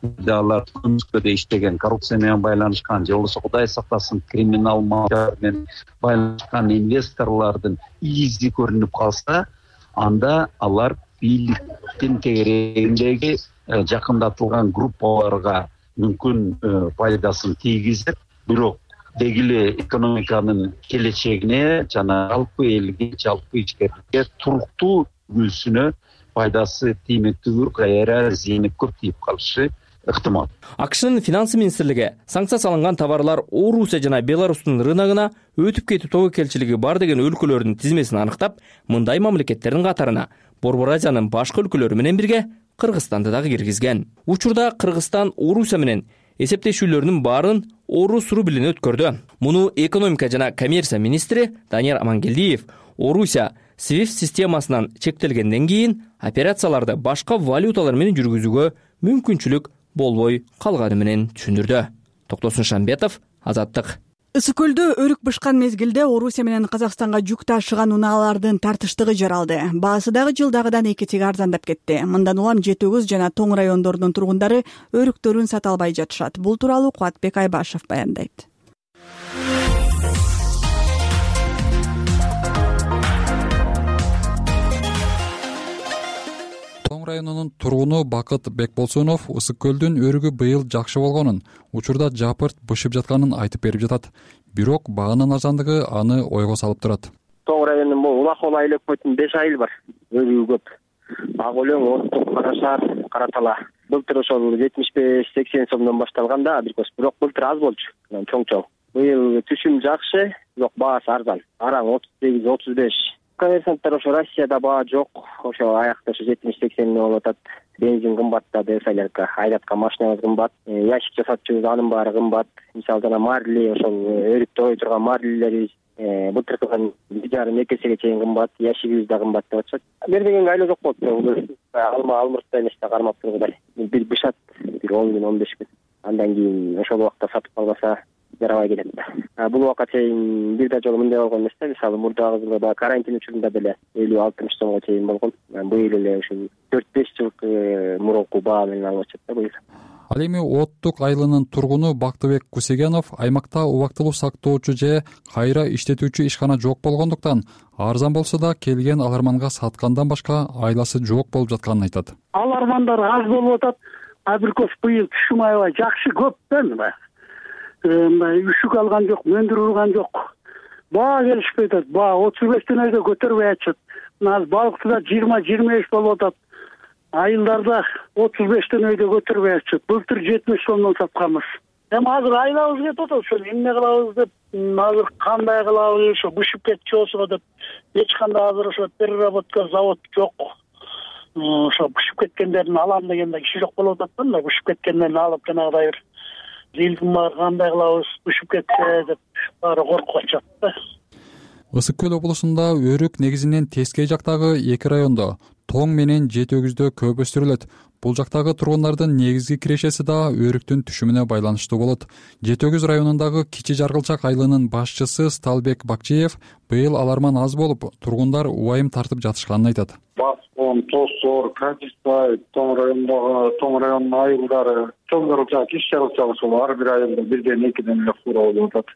Алар көмүскөдө иштеген, коррупция менен байланышкан же болбосо Кудай сактасын криминал мафия менен байланышкан инвесторлордун изи көрүнүп калса, анда алар бийликтин тегерегиндеги жакындатылган группаларга мүмкүн пайдасын тийгизет, бирок дегиле экономиканын келечегине жана жалпы элге, жалпы ичкерликке туруктуу үлгүсүнө пайдасы тиймектүү, кайра зыяны көп тийип калышы ыктымал. АКШнын финанс министрлиги санкция салынган товарлар Орусия жана Беларустун рыногуна өтүп кетүү тобокелчилиги бар деген өлкөлөрдүн тизмесин аныктап, мындай мамлекеттердин катарына Борбор Азиянын башка өлкөлөрү менен бирге Кыргызстанды дагы киргизген. Учурда Кыргызстан Орусия менен эсептешүүлөрүнүн баарын орус рублине өткөрдү. Муну экономика жана коммерция министри Данияр Амангелдиев Орусия SWIFT системасынан чектелгенден кийин операцияларды башка валюталар менен жүргүзүүгө мүмкүнчүлүк болбой калганы менен түшүндүрдү. Токтосун Шамбетов, Азаттык. Ысык көлдө өрүк бышкан мезгилде Орусия менен Казакстанга жүк ташыган унаалардын тартыштыгы жаралды. Баасы дагы жылдагыдан 2 эсеге арзандап кетти. Мындан улам Жети-Өгүз жана Тоң райондорунун тургундары өрүктөрүн сата албай жатышат. Бул тууралуу Кубатбек Айбашев баяндайт. районунун тургуну Бакыт Бекболсунов Ысык көлдүн өрүгү быйыл жакшы болгонун, учурда жапырт бышып жатканын айтып берип жатат. Бирок баанын арзандыгы аны ойго салып турат. Тоң районунун бул Улакол айыл өкмөтүнүн 5 айыл бар. Өрүгү көп. Ак өлөң, Оттук, Кара Шаар, Кара Тала. Былтыр ошол 75-80 сомдон башталганда, бирок былтыр аз болчу. Чоң-чоң. Быйыл түшүм жакшы, бирок баасы арзан. Араң 38-35. Коммерсанттар ошо Россияда баа жок, ошо аякта ошо 70-80 болуп атат. Бензин кымбаттады, солярка, айдаткан машинабыз кымбат, ящик жасатчыбыз анын баары кымбат. Мисалы жана марли, ошол өрүктө ой турган марлилерибиз былтыркыдан 1,5-2 эсеге чейин кымбат, ящигибиз да кымбат деп атышат. Бербегенге айла жок болот. Алмуртта эмес да кармап тургудай. Бир бышат, бир 10 күн, 15 күн. Андан кийин ошол убакта сатып калбаса жарабай келет да. Бул убакка чейин бир да жолу мындай болгон эмес да. Мисалы мурдагы жылы да карантин учурунда деле 50-60 сомго чейин болгон. Быйыл эле ушул 4-5 жылкы мурунку баа менен алып атышат да быйыл. Ал эми Оттук айылынын тургуну Бактыбек Кусегенов аймакта убактылуу сактоочу же кайра иштетүүчү ишкана жок болгондуктан арзан болсо да келген аларманга саткандан башка айласы жок болуп жатканын айтат. Алармандар аз болуп атат. Абиркос быйыл түшүм аябай жакшы көп да. Мындай үшүк алган жок, мөндүр урган жок. Баа келишпей атат. Баа 35 өйдө көтөрбөй атышат. Азыр балыктыда 20-25 болуп атат. Айылдарда 35 өйдө көтөрбөй атышат. Былтыр 70 сомдон сатканбыз. Эми азыр айлабыз кетип атат. Ошо эмне кылабыз деп, азыр кандай кылабыз, ошо бышып кетчү болсо деп, эч кандай азыр ошо переработка завод жок. Ошо бышып кеткендерин алам дегенде киши жок болуп атат да, мына бышып кеткендерин алып жанагыдай бир зилдин бар кандай кылабыз, бышып кетсе деп баары коркуп атышат да. Ысык көл облусунда өрүк негизинен Тескей жактагы 2 райондо, Тоң менен Жети-Өгүздө көп өстүрүлөт. Бул жактагы тургундардын негизги кирешеси да өрүктүн түшүмүнө байланыштуу болот. Жети-Өгүз районундагы Кичи Жаргылчак айылынын башчысы Сталбек Бакчиев быйыл аларман аз болуп, тургундар убайым тартып жатышканын айтат. Баскон, Тосор, Кадисай, Тоң районунун айылдары, Чоң Жаргылчак, Кичи Жаргылчак ошол ар бир айылда 1-2 эле фура болуп атат.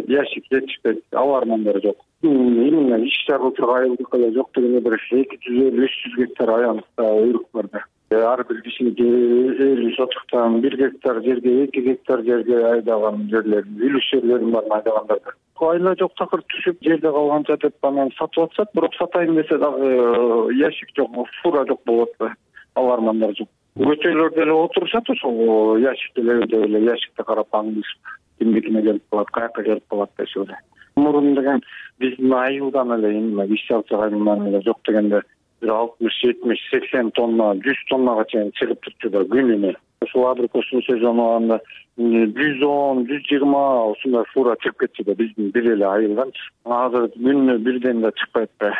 Ящик жетишпейт, алармандар жок. Именно Кичи Жаргылчак айылдыкы да жок дегенде бир 250-300 гектар аянтта өрүк бар да. Ар бир кишинин 50 сотуктан 1 гектар жерге, 2 гектар жерге айдаган жерлер, үлүш жерлерин бар айдагандарда. Айла жок такыр түшүп жерде калганча деп анан сатып атышат, бирок сатайын десе дагы ящик жок, фура жок болот да. Алармандар жок. Көчөлөрдө эле отурушат, ошол ящикте эле ящикте карап аңдышып, кимдикине келип калат, каяка келип калат дешип эле. Мурун деген биздин айылдан эле эми Кичи Жаргылчак айылынан эле жок дегенде 60-70-80 тонна, 100 тоннага чейин чыгып турчу да күнүнө. Ошол абрикостун сезону анда 110-120 ушундай фура чыгып кетчү да биздин бир эле айылдан. Азыр күнүнө бирден да чыкпайт да.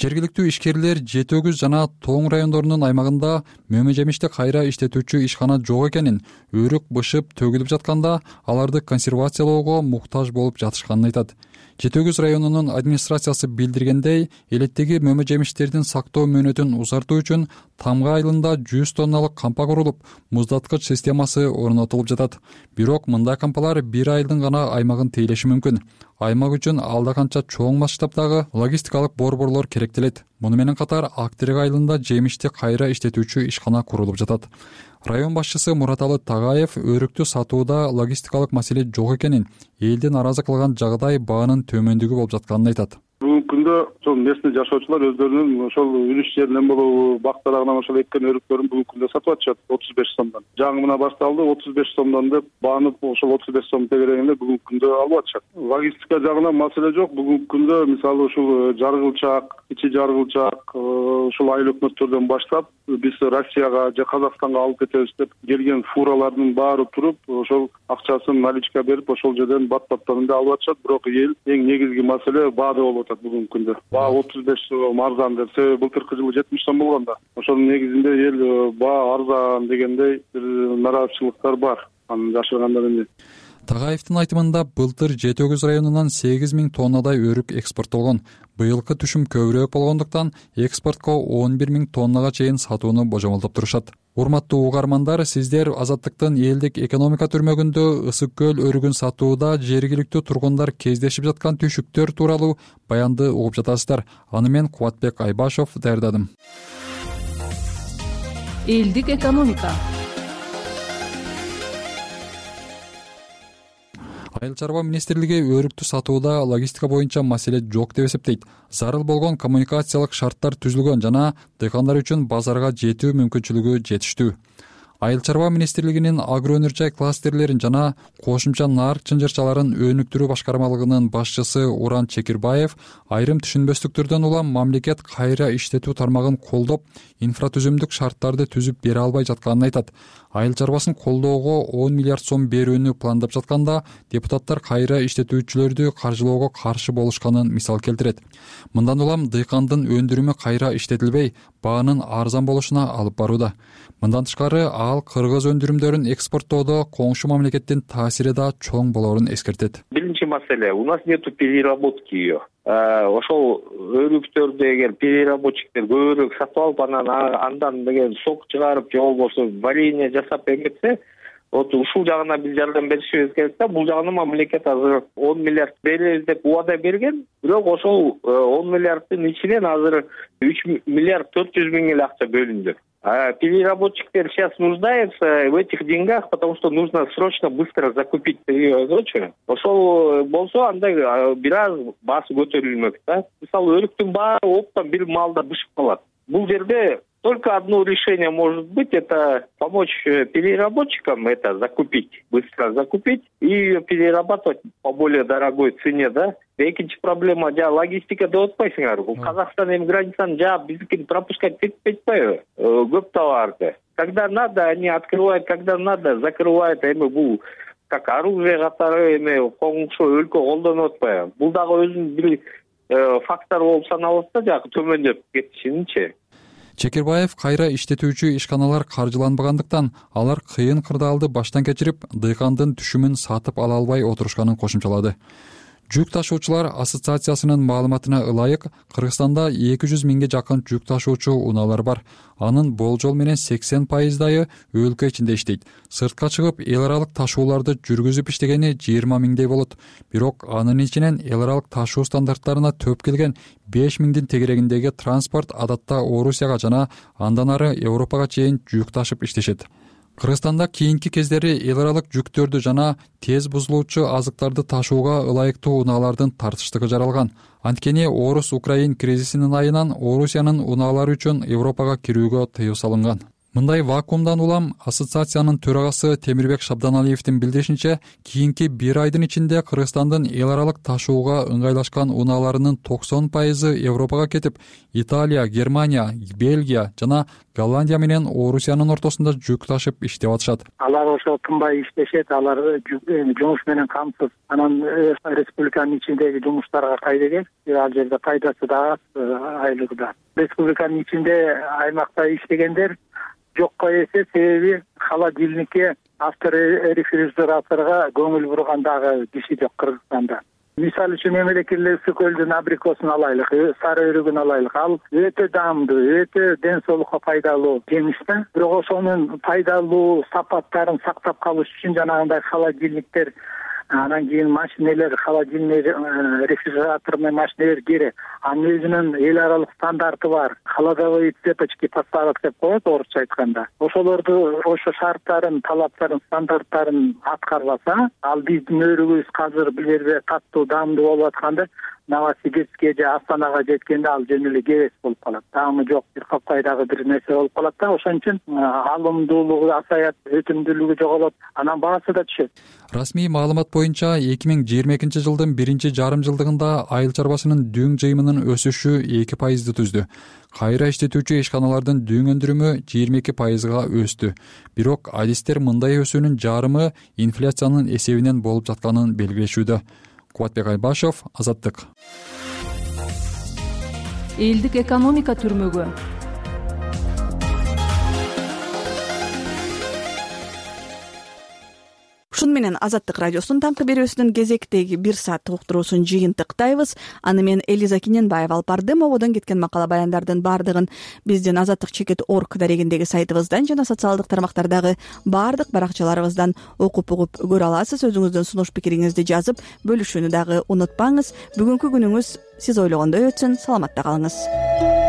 Жергиликтүү ишкерлер Жети-Өгүз жана Тоң райондорунун аймагында мөмө жемишти кайра иштетүүчү ишкана жок экенин, өрүк бышып төгүлүп жатканда аларды консервациялоого муктаж болуп жатышканын айтат. Жети-Өгүз районунун администрациясы билдиргендей, элеттеги мөмө жемиштердин сактоо мөөнөтүн узартуу үчүн Тамга айылында 100 тонналык кампа курулуп, муздаткыч системасы орнотулуп жатат. Бирок мындай кампалар бир айылдын гана аймагын тейлеши мүмкүн. Аймак үчүн алда канча чоң масштабдагы логистикалык борборлор керектелет. Муну менен катар Актерек айылында жемишти кайра иштетүүчү ишкана курулуп жатат. Район башчысы Мураталы Тагаев өрүктү сатууда логистикалык маселе жок экенин, элди нааразы кылган жагдай баанын төмөндүгү болуп жатканын айтат. бүгүнкү күндө ошол местный жашоочулар өздөрүнүн ошол үлүш жеринен болобу бак дарагынан ошол эккен өрүктөрүн бүгүнкү күндө сатып атышат 35 сомдон. Жаңы башталды 35 сомдон деп баанып ошол 35 сом тегерегинде бүгүнкү күндө алып атышат. Логистика жагынан маселе жок. Бүгүнкү күндө мисалы ушул жаргылчак, ичи жаргылчак ушул айыл өкмөттөрдөн баштап биз Россияга же Казакстанга алып кетебиз деп келген фуралардын баары туруп ошол акчасын наличка берип ошол жерден бат-баттарында алып атышат. Бирок эл эң негизги маселе баада болуп атат бүгүнкү күндө. Баа 35 сом арзан деп, себеби былтыркы жылы 70 сом болгон да. Ошонун негизинде эл баа арзан дегендей бир нараазычылыктар бар. Анын жашыргандан эмне. Тагаевдин айтымында былтыр Жети Өгүз районунан 8000 тоннадай өрүк экспорттолгон. Быйылкы түшүм көбүрөөк болгондуктан экспортко 11000 тоннага чейин сатууну божомолдоп турушат. Урматтуу угармандар, сиздер Азаттыктын элдик экономика түрмөгүндө ысык көл өрүгүн сатууда жергиликтүү тургундар кездешип жаткан түйшүктөр тууралуу баянды угуп жатасыздар. Аны мен Кубатбек Айбашов даярдадым. Элдик экономика. Айыл чарба министрлиги өрүктү сатууда логистика боюнча маселе жок деп эсептейт. Зарыл болгон коммуникациялык шарттар түзүлгөн жана дыйкандар үчүн базарга жетүү мүмкүнчүлүгү жетиштүү. Айыл чарба министрлигинин агроөнөр жай кластерлерин жана кошумча нарк чынжырчаларын өнүктүрүү башкармалыгынын башчысы Уран Чекирбаев айрым түшүнбөстүктөрдөн улам мамлекет кайра иштетүү тармагын колдоп, инфратүзүмдүк шарттарды түзүп бере албай жатканын айтат. Айыл чарбасын колдоого 10 миллиард сом берүүнү пландап жатканда депутаттар кайра иштетүүчүлөрдү каржылоого каршы болушканын мисал келтирет. Мындан улам дыйкандын өндүрүмү кайра иштетилбей, баанын арзан болушуна алып барууда. Мындан тышкары ал кыргыз өндүрүмдөрүн экспорттоодо коңшу мамлекеттин таасири да чоң болоорун эскертет. Биринчи маселе, у нас нету переработки ее. Ошол өрүктөрдү эгер переработчиктер көбүрөөк сатып алып, андан деген сок чыгарып же болбосо варенье жасап эметсе, вот ушул жагына биз жардам беришибиз керек да. Бул жагына мамлекет азыр 10 миллиард беребиз деп убада берген, бирок ошол 10 миллиарддын ичинен азыр 3 миллиард 400 миң эле акча бөлүндү. Переработчиктер сейчас нуждаются в этих деньгах, потому что нужно срочно быстро закупить переработчика. Ошол болсо анда бир аз баасы көтөрүлмөк да. Мисалы өрүктүн баары оптом бир маалда бышып калат. Бул жерде только одно решение может быть, это помочь переработчикам это закупить, быстро закупить и ее перерабатывать по более дорогой цене, да. Экинчи проблема логистика деп атпайсыңар. Бул Казакстан эми границаны жаап биздикин пропускать этпей атпайбы? Көп товарды. Когда надо, они открывают, когда надо, закрывают. Эми бул как оружие катары эми коңшу өлкө колдонуп атпайбы? Бул дагы өзүнүн бир фактор болуп саналат да, жагы төмөндөп кетишинчи. Чекирбаев кайра иштетүүчү ишканалар каржыланбагандыктан алар кыйын кырдаалды баштан кечирип, дыйкандын түшүмүн сатып ала албай отурушканын кошумчалады. Жүк ташуучулар ассоциациясынын маалыматына ылайык, Кыргызстанда 200 миңге жакын жүк ташуучу унаалар бар. Анын болжол менен 80%дайы өлкө ичинде иштейт. Сыртка чыгып, эл аралык ташууларды жүргүзүп иштегени 20 миңдей болот. Бирок анын ичинен эл аралык ташуу стандарттарына төп келген 5 миңдин тегерегиндеги транспорт адатта Орусияга жана андан ары Европага чейин жүк ташып иштешет. Кыргызстанда кийинки кездери эл аралык жүктөрдү жана тез бузулуучу азыктарды ташууга ылайыктуу унаалардын тартыштыгы жаралган. Анткени Орус-Украин кризисинин айынан Орусиянын унаалары үчүн Европага кирүүгө тыюу салынган. Мындай вакуумдан улам ассоциациянын төрагасы Темирбек Шабданалиевдин билдиришинче, кийинки бир айдын ичинде Кыргызстандын эл аралык ташууга ыңгайлашкан унааларынын 90% Европага кетип, Италия, Германия, Бельгия жана Голландия менен Орусиянын ортосунда жүк ташып иштеп атышат. Алар ошо тынбай иштешет, алар жумуш менен камсыз. Анан республиканын ичиндеги жумуштарга кайда элек, ал жерде пайдасы да аз, айлыгы да. Республиканын ичинде аймакта иштегендер жокко эсе, себеби холодильникке, авторефрижераторго көңүл бурган дагы киши жок Кыргызстанда. Мисалы үчүн мемлекет ысык көлдүн абрикосун алайлык, сары өрүгүн алайлык. Ал өтө даамдуу, өтө ден соолукка пайдалуу жемиш да. Бирок ошонун пайдалуу сапаттарын сактап калыш үчүн жанагындай холодильниктер, анан кийин машинелер, холодильный рефрижераторный машинелер керек. Анын өзүнүн эл аралык стандарты бар. Холодовые цепочки поставок деп коет орусча айтканда. Ошолорду, ошо шарттарын, талаптарын, стандарттарын аткарбаса, ал биздин өрүгүбүз азыр бул жерде катуу даамдуу болуп атканда, Новосибирскке же Астанага жеткенде ал жөн эле кебес болуп калат. Даамы жок, бир капкайдагы бир нерсе болуп калат да. Ошон үчүн алымдуулугу азаят, өтүмдүүлүгү жоголот, анан баасы да түшөт. Расмий маалымат боюнча 2022 жылдын биринчи жарым жылдыгында айыл чарбасынын дүң жыйымынын өсүшү 2% түздү. Кайра иштетүүчү ишканалардын дүң өндүрүмү 22%га өстү. Бирок адистер мындай өсүүнүн жарымы инфляциянын эсебинен болуп жатканын белгилешүүдө. Кубатбек Айбашев, Азаттык. Элдик экономика түрмөгү. Ушуну менен Азаттык радиосунун таңкы берүүсүнүн кезектеги 1 сааттык уктуруусун жыйынтыктайбыз. Аны мен Элиза Киненбаева алып бардым. Ободон кеткен макала баяндардын бардыгын биздин azattik.org дарегиндеги сайтыбыздан жана социалдык тармактардагы бардык баракчаларыбыздан окуп угуп көрө аласыз. Өзүңүздүн сунуш пикириңизди жазып бөлүшүүнү дагы унутпаңыз. Бүгүнкү күнүңүз сиз ойлогондой өтсүн. Саламатта калыңыз.